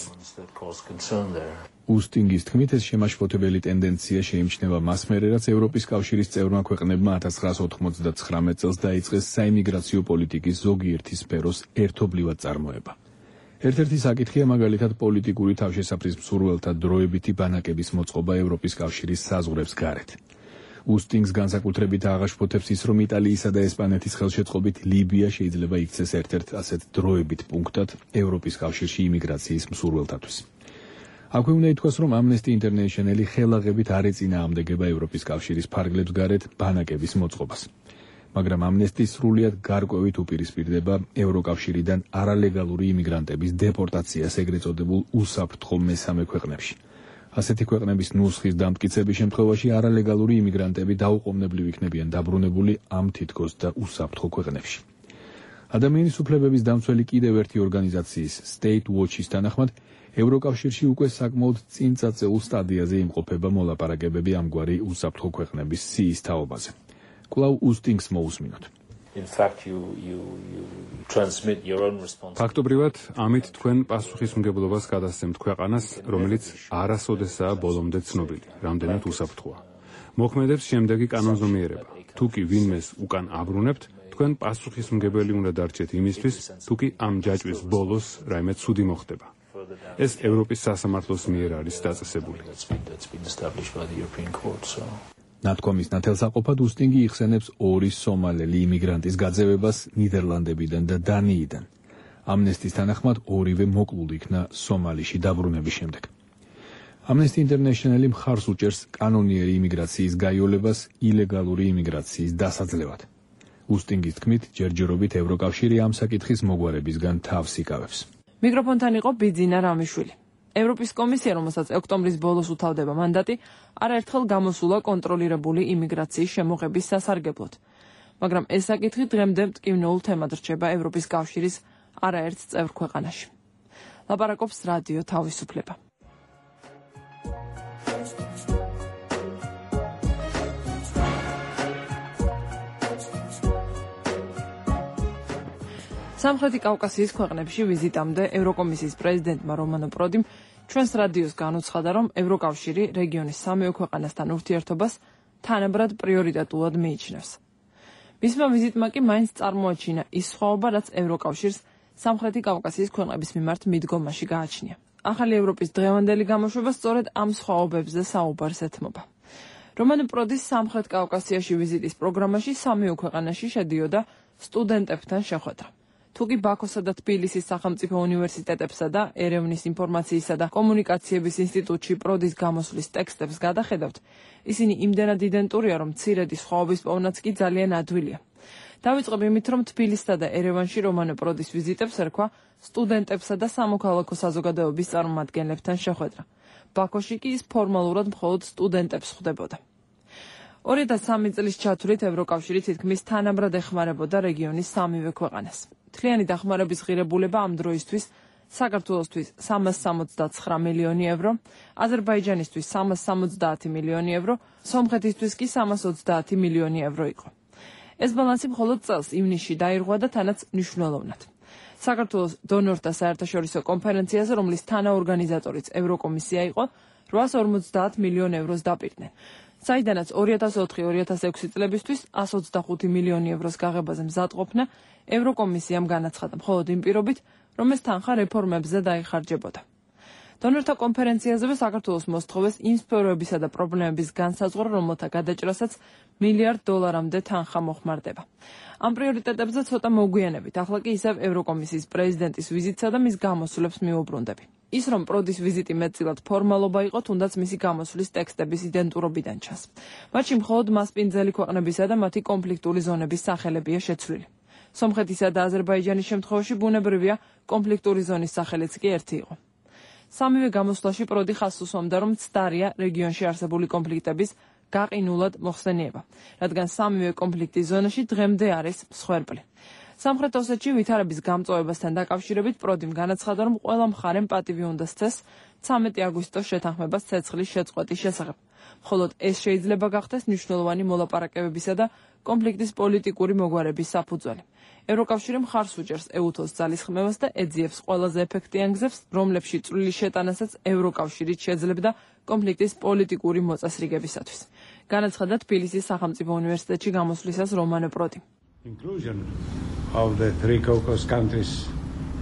უსტინგის თქმით, ეს შემაშფოთებელი ტენდენცია შეიმჩნევა მას მერე, რაც ევროპის კავშირის წევრმა ქვეყნებმა ათას ცხრაასა ოთხმოცდათხრამეტ წელს დაიწყეს საიმიგრაციო პოლიტიკის ზოგიერთი სფეროს ერთობლივად წარმოება. ერთ-ერთი საკითხია მაგალითად პოლიტიკური თავშესაფრის მსურველთა დროებითი ბანაკების მოწყობა ევროპის კავშირის საზღვრებს გარეთ. უსტინგს განსაკუთრებით აღაშფოთებს ის, რომ იტალიისა და ესპანეთის ხელშეწყობით ლიბია შეიძლება იქცეს ერთ-ერთ ასეთ დროებით პუნქტად ევროპის კავშირში იმიგრაციის მსურველთათვის. აქვე უნდა ითქვას, რომ Amnesty International-ი ხელაღებით არ ეწინააღმდეგება ევროპის კავშირის ფარგლებს გარეთ ბანაკების მოწყობას. მაგრამ Amnesty სრულიად გარკვევით უპირისპირდება ევროკავშირიდან არალეგალური იმიგრანტების დეპორტაციას ეგრეთ წოდებულ უსაფრთხო მესამე ქვეყნებში. ასეთი ქვეყნების ნუსხის დამტკიცების შემთხვევაში არალეგალური იმიგრანტები დაუყოვნებლივ იქნებიან დაბრუნებული ამ თითქოს და უსაფრთხო ქვეყნებში. ადამიანის უფლებების დამცველი კიდევ ერთი ორგანიზაციის State Watch-ის თანახმად, ევროკავშირში უკვე საკმაოდ წინ წაწეულ სტადიაზე იმყოფება მოლაპარაკებები ამგვარი უსაფრთხო ქვეყნების სიის თაობაზე. კვლავ უსტინგს მოусმინოთ. In fact, you you you transmit your own responsibility. ფაქტობრივად, ამით თქვენ პასუხისმგებლობას გადასცემთ ქვეყანას, რომელიც არასოდესაა ბოლომდე ცნობილი, რამდენად უსაფრთხოა. მოქმედებს შემდეგი კანონზომიერება. თუ კი ვინმეს უკან აბრუნებთ, თქვენ პასუხისმგებელი უნდა დარჩეთ იმისთვის, თუ კი ამ ჯაჭვის ბოლოს რაიმე ცუდი მოხდება. ეს ევროპის სასამართლოს მიერ არის დაწესებული. ნათქვამის ნათელსაყოფად უსტინგი იხსენებს ორი სომალელი იმიგრანტის გაძევებას ნიდერლანდებიდან და დანიიდან. Amnesty-ს თანახმად ორივე მოკლული იქნა სომალიში დაბრუნების შემდეგ. Amnesty International-ი მხარს უჭერს კანონიერი იმიგრაციის გაიოლებას ილეგალური იმიგრაციის დასაძლევად. უსტინგის თქმით, ჯერჯერობით ევროკავშირი ამ საკითხის მოგვარებისგან თავს იკავებს. მიკროფონთან იყო ბიძინა რამიშვილი. ევროპის კომისია, რომელსაც ოქტომბრის ბოლოს უთავდება მანდატი, არაერთხელ გამოსულა კონტროლირებული იმიგრაციის შემოღების სასარგებლოდ. მაგრამ ეს საკითხი დღემდე მტკივნეულ თემად რჩება ევროპის კავშირის არაერთ წევრ ქვეყანაში. ლაპარაკობს რადიო თავისუფლება. სამხრეთი კავკასიის ქვეყნებში ვიზიტამდე ევროკომისიის პრეზიდენტმა რომანო პროდიმ ჩვენს რადიოს განუცხადა, რომ ევროკავშირი რეგიონის სამეო ქვეყანასთან ურთიერთობას თანაბრად პრიორიტეტულად მიიჩნევს. მისმა ვიზიტმა კი მაინც წარმოაჩინა ის სხვაობა, რაც ევროკავშირს სამხრეთი კავკასიის ქვეყნების მიმართ მიდგომაში გააჩნია. ახალი ევროპის დღევანდელი გამოშვება სწორედ ამ სხვაობებზე საუბარს ეთმობა. რომანო პროდის სამხრეთ კავკასიაში ვიზიტის პროგრამაში სამეო ქვეყანაში შედიოდა სტუდენტებთან შეხვედრა. თუკი ბაქოსა და თბილისის სახელმწიფო უნივერსიტეტებსა და ერევნის ინფორმაციისა და კომუნიკაციების ინსტიტუტში პროდის გამოსვლის ტექსტებს გადახედავთ, ისინი იმდენად იდენტურია, რომ მცირედი სხვაობის პოვნაც კი ძალიან ადვილია. დავიწყებ იმით, რომ თბილისსა და ერევანში რომანო პროდის ვიზიტებს ერქვა სტუდენტებსა და სამოქალაქო საზოგადოების წარმომადგენლებთან შეხვედრა. ბაქოში კი ის ფორმალურად მხოლოდ სტუდენტებს ხვდებოდა. ორი ათას სამი წლის ჩათვლით ევროკავშირი თითქმის თანაბრად ეხმარებოდა რეგიონის სამივე ქვეყანას. მთლიანი დახმარების ღირებულება ამ დროისთვის საქართველოსთვის სამას სამოცდაცხრა მილიონი ევრო, აზერბაიჯანისთვის სამას სამოცდაათი მილიონი ევრო, სომხეთისთვის კი სამას ოცდაათი მილიონი ევრო იყო. ეს ბალანსი მხოლოდ წელს ივნისში დაირღვა და თანაც მნიშვნელოვნად. საქართველოს დონორთა საერთაშორისო კონფერენციაზე, რომლის თანაორგანიზატორიც ევროკომისია იყო, რვაას ორმოცდაათ მილიონ ევროს დაპირდნენ. საიდანაც ორი ათას ოთხი ორი ათას ექვსი წლებისთვის ასს ოცდახუთი მილიონი ევროს გაღებაზე მზადყოფნა ევროკომისიამ განაცხადა მხოლოდ იმ პირობით, რომ ეს თანხა რეფორმებზე დაიხარჯებოდა. დონორთა კონფერენციაზევე საქართველოს მოსთხოვეს იმ სფეროებისა და პრობლემების განსაზღვრა, რომელთა გადაჭრასაც მილიარდ დოლარამდე თანხა მოხმარდება. ამ პრიორიტეტებზე ცოტა მოგვიანებით, ახლა კი ისევ ევროკომისიის პრეზიდენტის ვიზიტსა და მის გამოსვლებს მიუბრუნდები. ის, რომ პროდის ვიზიტი მეტწილად ფორმალობა იყო, თუნდაც მისი გამოსვლის ტექსტების იდენტურობიდან ჩანს. მათში მხოლოდ მასპინძელი ქვეყნებისა და მათი კონფლიქტური ზონების სახელებია შეცვლილი. სომხეთისა და აზერბაიჯანის შემთხვევაში ბუნებრივია კონფლიქტური ზონის სახელიც კი ერთი იყო. სამივე გამოსვლაში პროდი ხაზს უსვამდა, რომ ცდარია რეგიონში არსებული კონფლიქტების გაყინულად მოხსენიება, რადგან სამივე კონფლიქტის ზონაში დღემდე არის მსხვერპლი. სამხრეთ ოსეთში ვითარების გამწვავებასთან დაკავშირებით პროդიმ განაცხადა, რომ ყველა მხარემ პატივი უნდა სცეს ცამეტი აგვისტოს შეთანხმებას ცეცხლის შეწყვეტის შესახებ. მხოლოდ ეს შეიძლება გახდეს მნიშვნელოვანი მოლაპარაკებებისა და კონფლიქტის პოლიტიკური მოგვარების საფუძველი. ევროკავშირი მხარს უჭერს ეუთოს ძალისხმევას და ეძიებს ყველაზე ეფექტიან გზებს, რომლებში წვლილი შეტანასაც ევროკავშირით შეძლებდა კონფლიქტის პოლიტიკური მოწესრიგებისათვის. განაცხადა თბილისის სახელმწიფო უნივერსიტეტში გამოსვლისას რომანო პროდი. Inclusion of the three Caucasus countries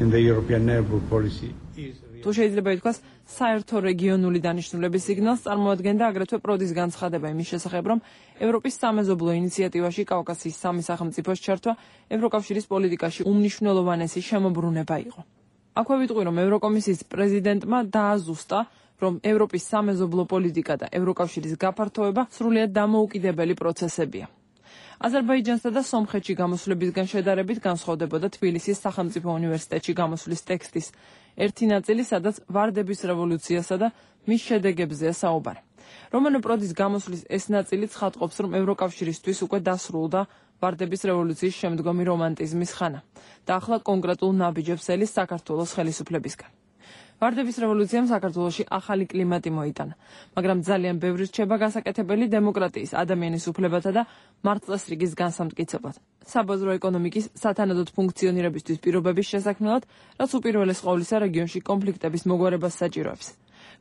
in the European neighborhood policy is თუ შეიძლება ითქვას, საერთო რეგიონული დანიშნულების სიგნალს წარმოადგენდა აგრეთვე პროდის განცხადება იმის შესახებ, რომ ევროპის სამეზობლო ინიციატივაში კავკასიის სამი სახელმწიფოს ჩართვა ევროკავშირის პოლიტიკაში უმნიშვნელოვანესი შემოbrunება იყო. აქვე ვიტყვი, რომ ევროკომისიის პრეზიდენტმა დააზუსტა, რომ ევროპის სამეზობლო პოლიტიკა და ევროკავშირის გაფართოება სრულიად დამოუკიდებელი პროცესებია. აზერბაიჯანსა და სომხეთში გამოსვლებისგან შედარებით განსხვავდებოდა თბილისის სახელმწიფო უნივერსიტეტში გამოსვლის ტექსტის ერთი ნაწილი, სადაც ვარდების რევოლუციასა და მის შედეგებზეა საუბარი. რომანო პროდის გამოსვლის ეს ნაწილი ცხადყოფს, რომ ევროკავშირისთვის უკვე დასრულდა ვარდების რევოლუციის შემდგომი რომანტიზმის ხანა და ახლა კონკრეტულ ნაბიჯებს ელის საქართველოს ხელისუფლებისგან. ვარდების რევოლუციამ საქართველოში ახალი კლიმატი მოიტანა, მაგრამ ძალიან ბევრი რჩება გასაკეთებელი დემოკრატიის, ადამიანის უფლებათა და მართლმსრიგის განსამტკიცებლად. საბაზრო ეკონომიკის სათანადოდ ფუნქციონირებისთვის პირობების შესაქმნელად, რაც უპირველეს ყოვლისა რეგიონში კონფლიქტების მოგვარებას საჭიროებს.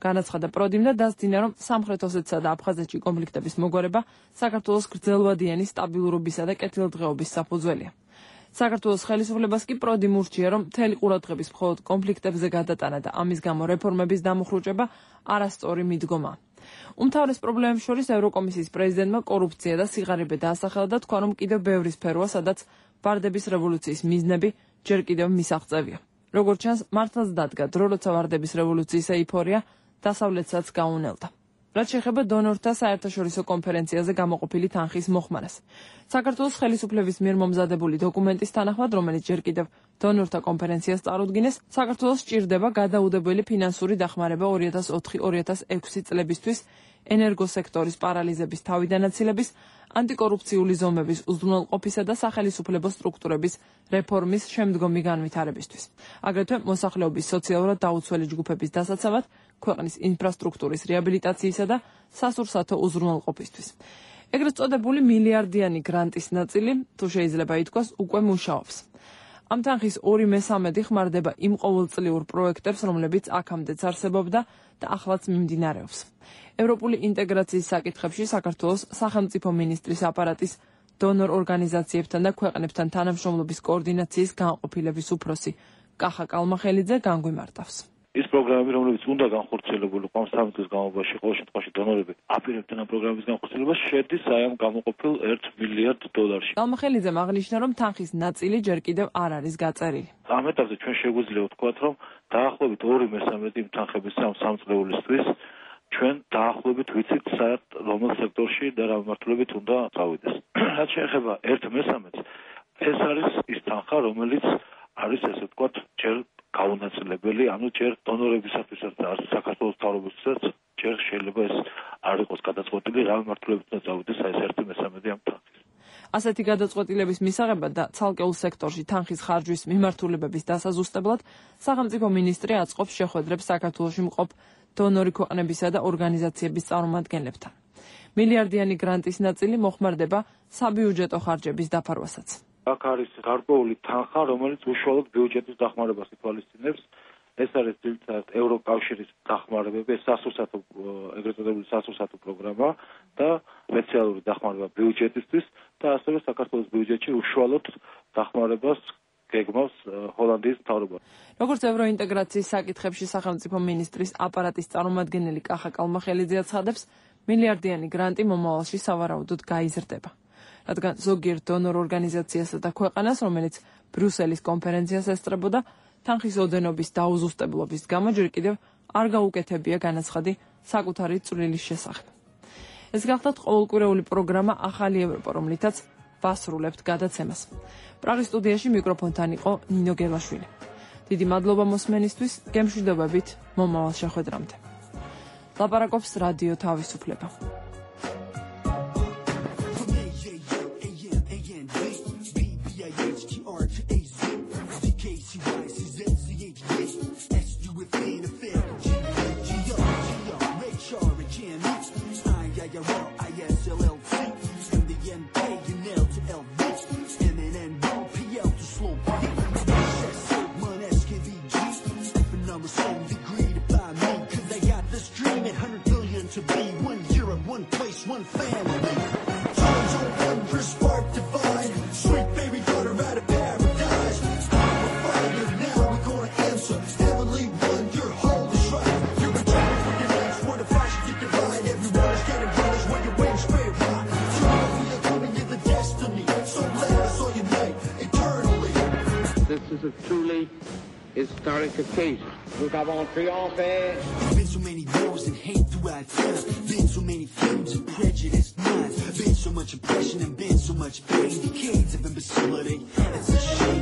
განაცხადა პროდიმ და დასძინა, რომ სამხრეთ ოსეთსა და აფხაზეთში კონფლიქტების მოგვარება საქართველოს გრძელვადიანი სტაბილურობისა და კეთილდღეობის საფუძველია. საქართველოს ხელისუფლებას კი პროდიმ ურჩია, რომ მთელი ყურადღების მხოლოდ კონფლიქტებზე გადატანა და ამის გამო რეფორმების დამუხრუჭება არასწორი მიდგომაა. უმთავრეს პრობლემებს შორის ევროკომისიის პრეზიდენტმა კორუფცია და სიღარიბე დაასახელა და თქვა, რომ კიდევ ბევრი სფეროა, სადაც ვარდების რევოლუციის მიზნები ჯერ კიდევ მისაღწევია. როგორც ჩანს, მართლაც დადგა დრო, როცა ვარდების რევოლუციის ეიფორია დასავლეთსაც გაუნელდა. რაც შეეხება დონორთა საერთაშორისო კონფერენციაზე გამოყოფილი თანხის მოხმარას. საქართველოს ხელისუფლების მიერ მომზადებული დოკუმენტის თანახმად, რომელიც ჯერ კიდევ დონორთა კონფერენციას წარუდგინეს, საქართველოს სჭირდება გადაუდებელი ფინანსური დახმარება ორი ათას ოთხი ორი ათას ექვსი წლებისთვის ენერგოსექტორის პარალიზების თავიდანაცილების, ანტიკორუფციული ზომების უზრუნველყოფისა და სახელისუფლებო სტრუქტურების რეფორმის შემდგომი განვითარებისთვის. აგრეთვე მოსახლეობის სოციალურად დაუცველი ჯგუფების დასაცავად, ქვეყნის ინფრასტრუქტურის რეაბილიტაციისა და სასურსათო უზრუნველყოფისთვის. ეგრეთ წოდებული მილიარდიანი გრანტის ნაწილი, თუ შეიძლება ითქვას, უკვე მუშაობს. ამ თანხის ორი მესამედი ხმარდება იმ ყოველწლიურ პროექტებს, რომლებიც აქამდეც არსებობდა და ახლაც მიმდინარეობს. ევროპული ინტეგრაციის საკითხებში საქართველოს სახელმწიფო მინისტრის აპარატის დონორ ორგანიზაციებთან და ქვეყნებთან თანამშრომლობის კოორდინაციის განყოფილების უფროსი კახა კალმახელიძე განგვიმარტავს. ის პროგრამები, რომლებიც უნდა განხორციელებულიყო ამ სამი წლის განმავლობაში, ყოველ შემთხვევაში დონორები აპირებდნენ ამ პროგრამების განხორციელებას, შედის აი ამ გამოყოფილ ერთ მილიარდ დოლარში. კალმახელიძემ აღნიშნა, რომ თანხის ნაწილი ჯერ კიდევ არ არის გაწერილი. ამ ეტაპზე ჩვენ შეგვიძლია ვთქვათ, რომ დაახლოებით ორი მესამედი იმ თანხების ამ სამწლეულისთვის ჩვენ დაახლოებით ვიცით, საერთ რომელ სექტორში და რა მიმართულებით უნდა წავიდეს. რაც შეეხება ერთ მესამედს, ეს არის ის თანხა, რომელიც არის ესე ვთქვათ, ჯერ გაუნაწილებელი, ანუ ჯერ დონორებისათვისაც და საქართველოს მთავრობისთვისაც ჯერ შეიძლება ეს არ იყოს გადაწყვეტილი, რა მიმართულებით უნდა წავიდეს აი ეს ერთი მესამედი ამ თანხის. ასეთი გადაწყვეტილების მისაღებად და ცალკეულ სექტორში თანხის ხარჯვის მიმართულებების დასაზუსტებლად სახელმწიფო მინისტრი აწყობს შეხვედრებს საქართველოში მყოფ დონორი ქვეყნებისა და ორგანიზაციების წარმომადგენლებთან. მილიარდიანი გრანტის ნაწილი მოხმარდება საბიუჯეტო ხარჯების დაფარვასაც. აქ არის გარკვეული თანხა, რომელიც უშუალოდ ბიუჯეტის დახმარებას ითვალისწინებს. ეს არის ძირითადად ევროკავშირის დახმარებები, სასურსათო ეგრეთ წოდებული სასურსათო პროგრამა და სპეციალური დახმარება ბიუჯეტისთვის და ასევე საქართველოს ბიუჯეტში უშუალოდ დახმარებას გეგმავს ჰოლანდიის მთავრობა. როგორც ევროინტეგრაციის საკითხებში სახელმწიფო მინისტრის აპარატის წარმომადგენელი კახა კალმახელიძე აცხადებს, მილიარდიანი გრანტი მომავალში სავარაუდოდ გაიზრდება. რადგან ზოგიერთ დონორ ორგანიზაციასა და ქვეყანას, რომელიც ბრიუსელის კონფერენციას ესწრებოდა, თანხის ოდენობის დაუზუსტებლობის გამო ჯერ კიდევ არ გაუკეთებია განაცხადი საკუთარი წვლილის შესახებ. ეს გახლავთ ყოველკვირეული პროგრამა ახალი ევროპა, რომლითაც ვასრულებთ გადაცემას. პრაღის სტუდიაში მიკროფონთან იყო ნინო გელაშვილი. დიდი მადლობა მოსმენისთვის, გემშვიდობებით მომავალ შეხვედრამდე. ლაპარაკობს რადიო თავისუფლება. H G R to A Z, D K C Y C Z C H D, S U F A and Affair, G G O, G O, Ray Char and Jan X, I I R L I S L L T, M D N K and L to L V, M N N O P L to Slow P, S O one S K V G, and I'm a song degree to buy me, cause I got this dream at one hundred billion to be one Europe, one place, one family. Times on one spark divine, sweet baby daughter out of paradise. I'm a fighter now, we're gonna answer. Heavenly one, your hold is right. You're a child for your legs, what if I should get divine? Everyone is getting runners when your wings spread wide. Tomorrow you're coming in the destiny, so let us all unite eternally. This is a truly historic occasion. Nous avons triomphé. There's been so many wars and hate throughout time. Been so many feuds and prejudiced minds. Been so much oppression and been so much pain. Decades of imbecility. It's a shame.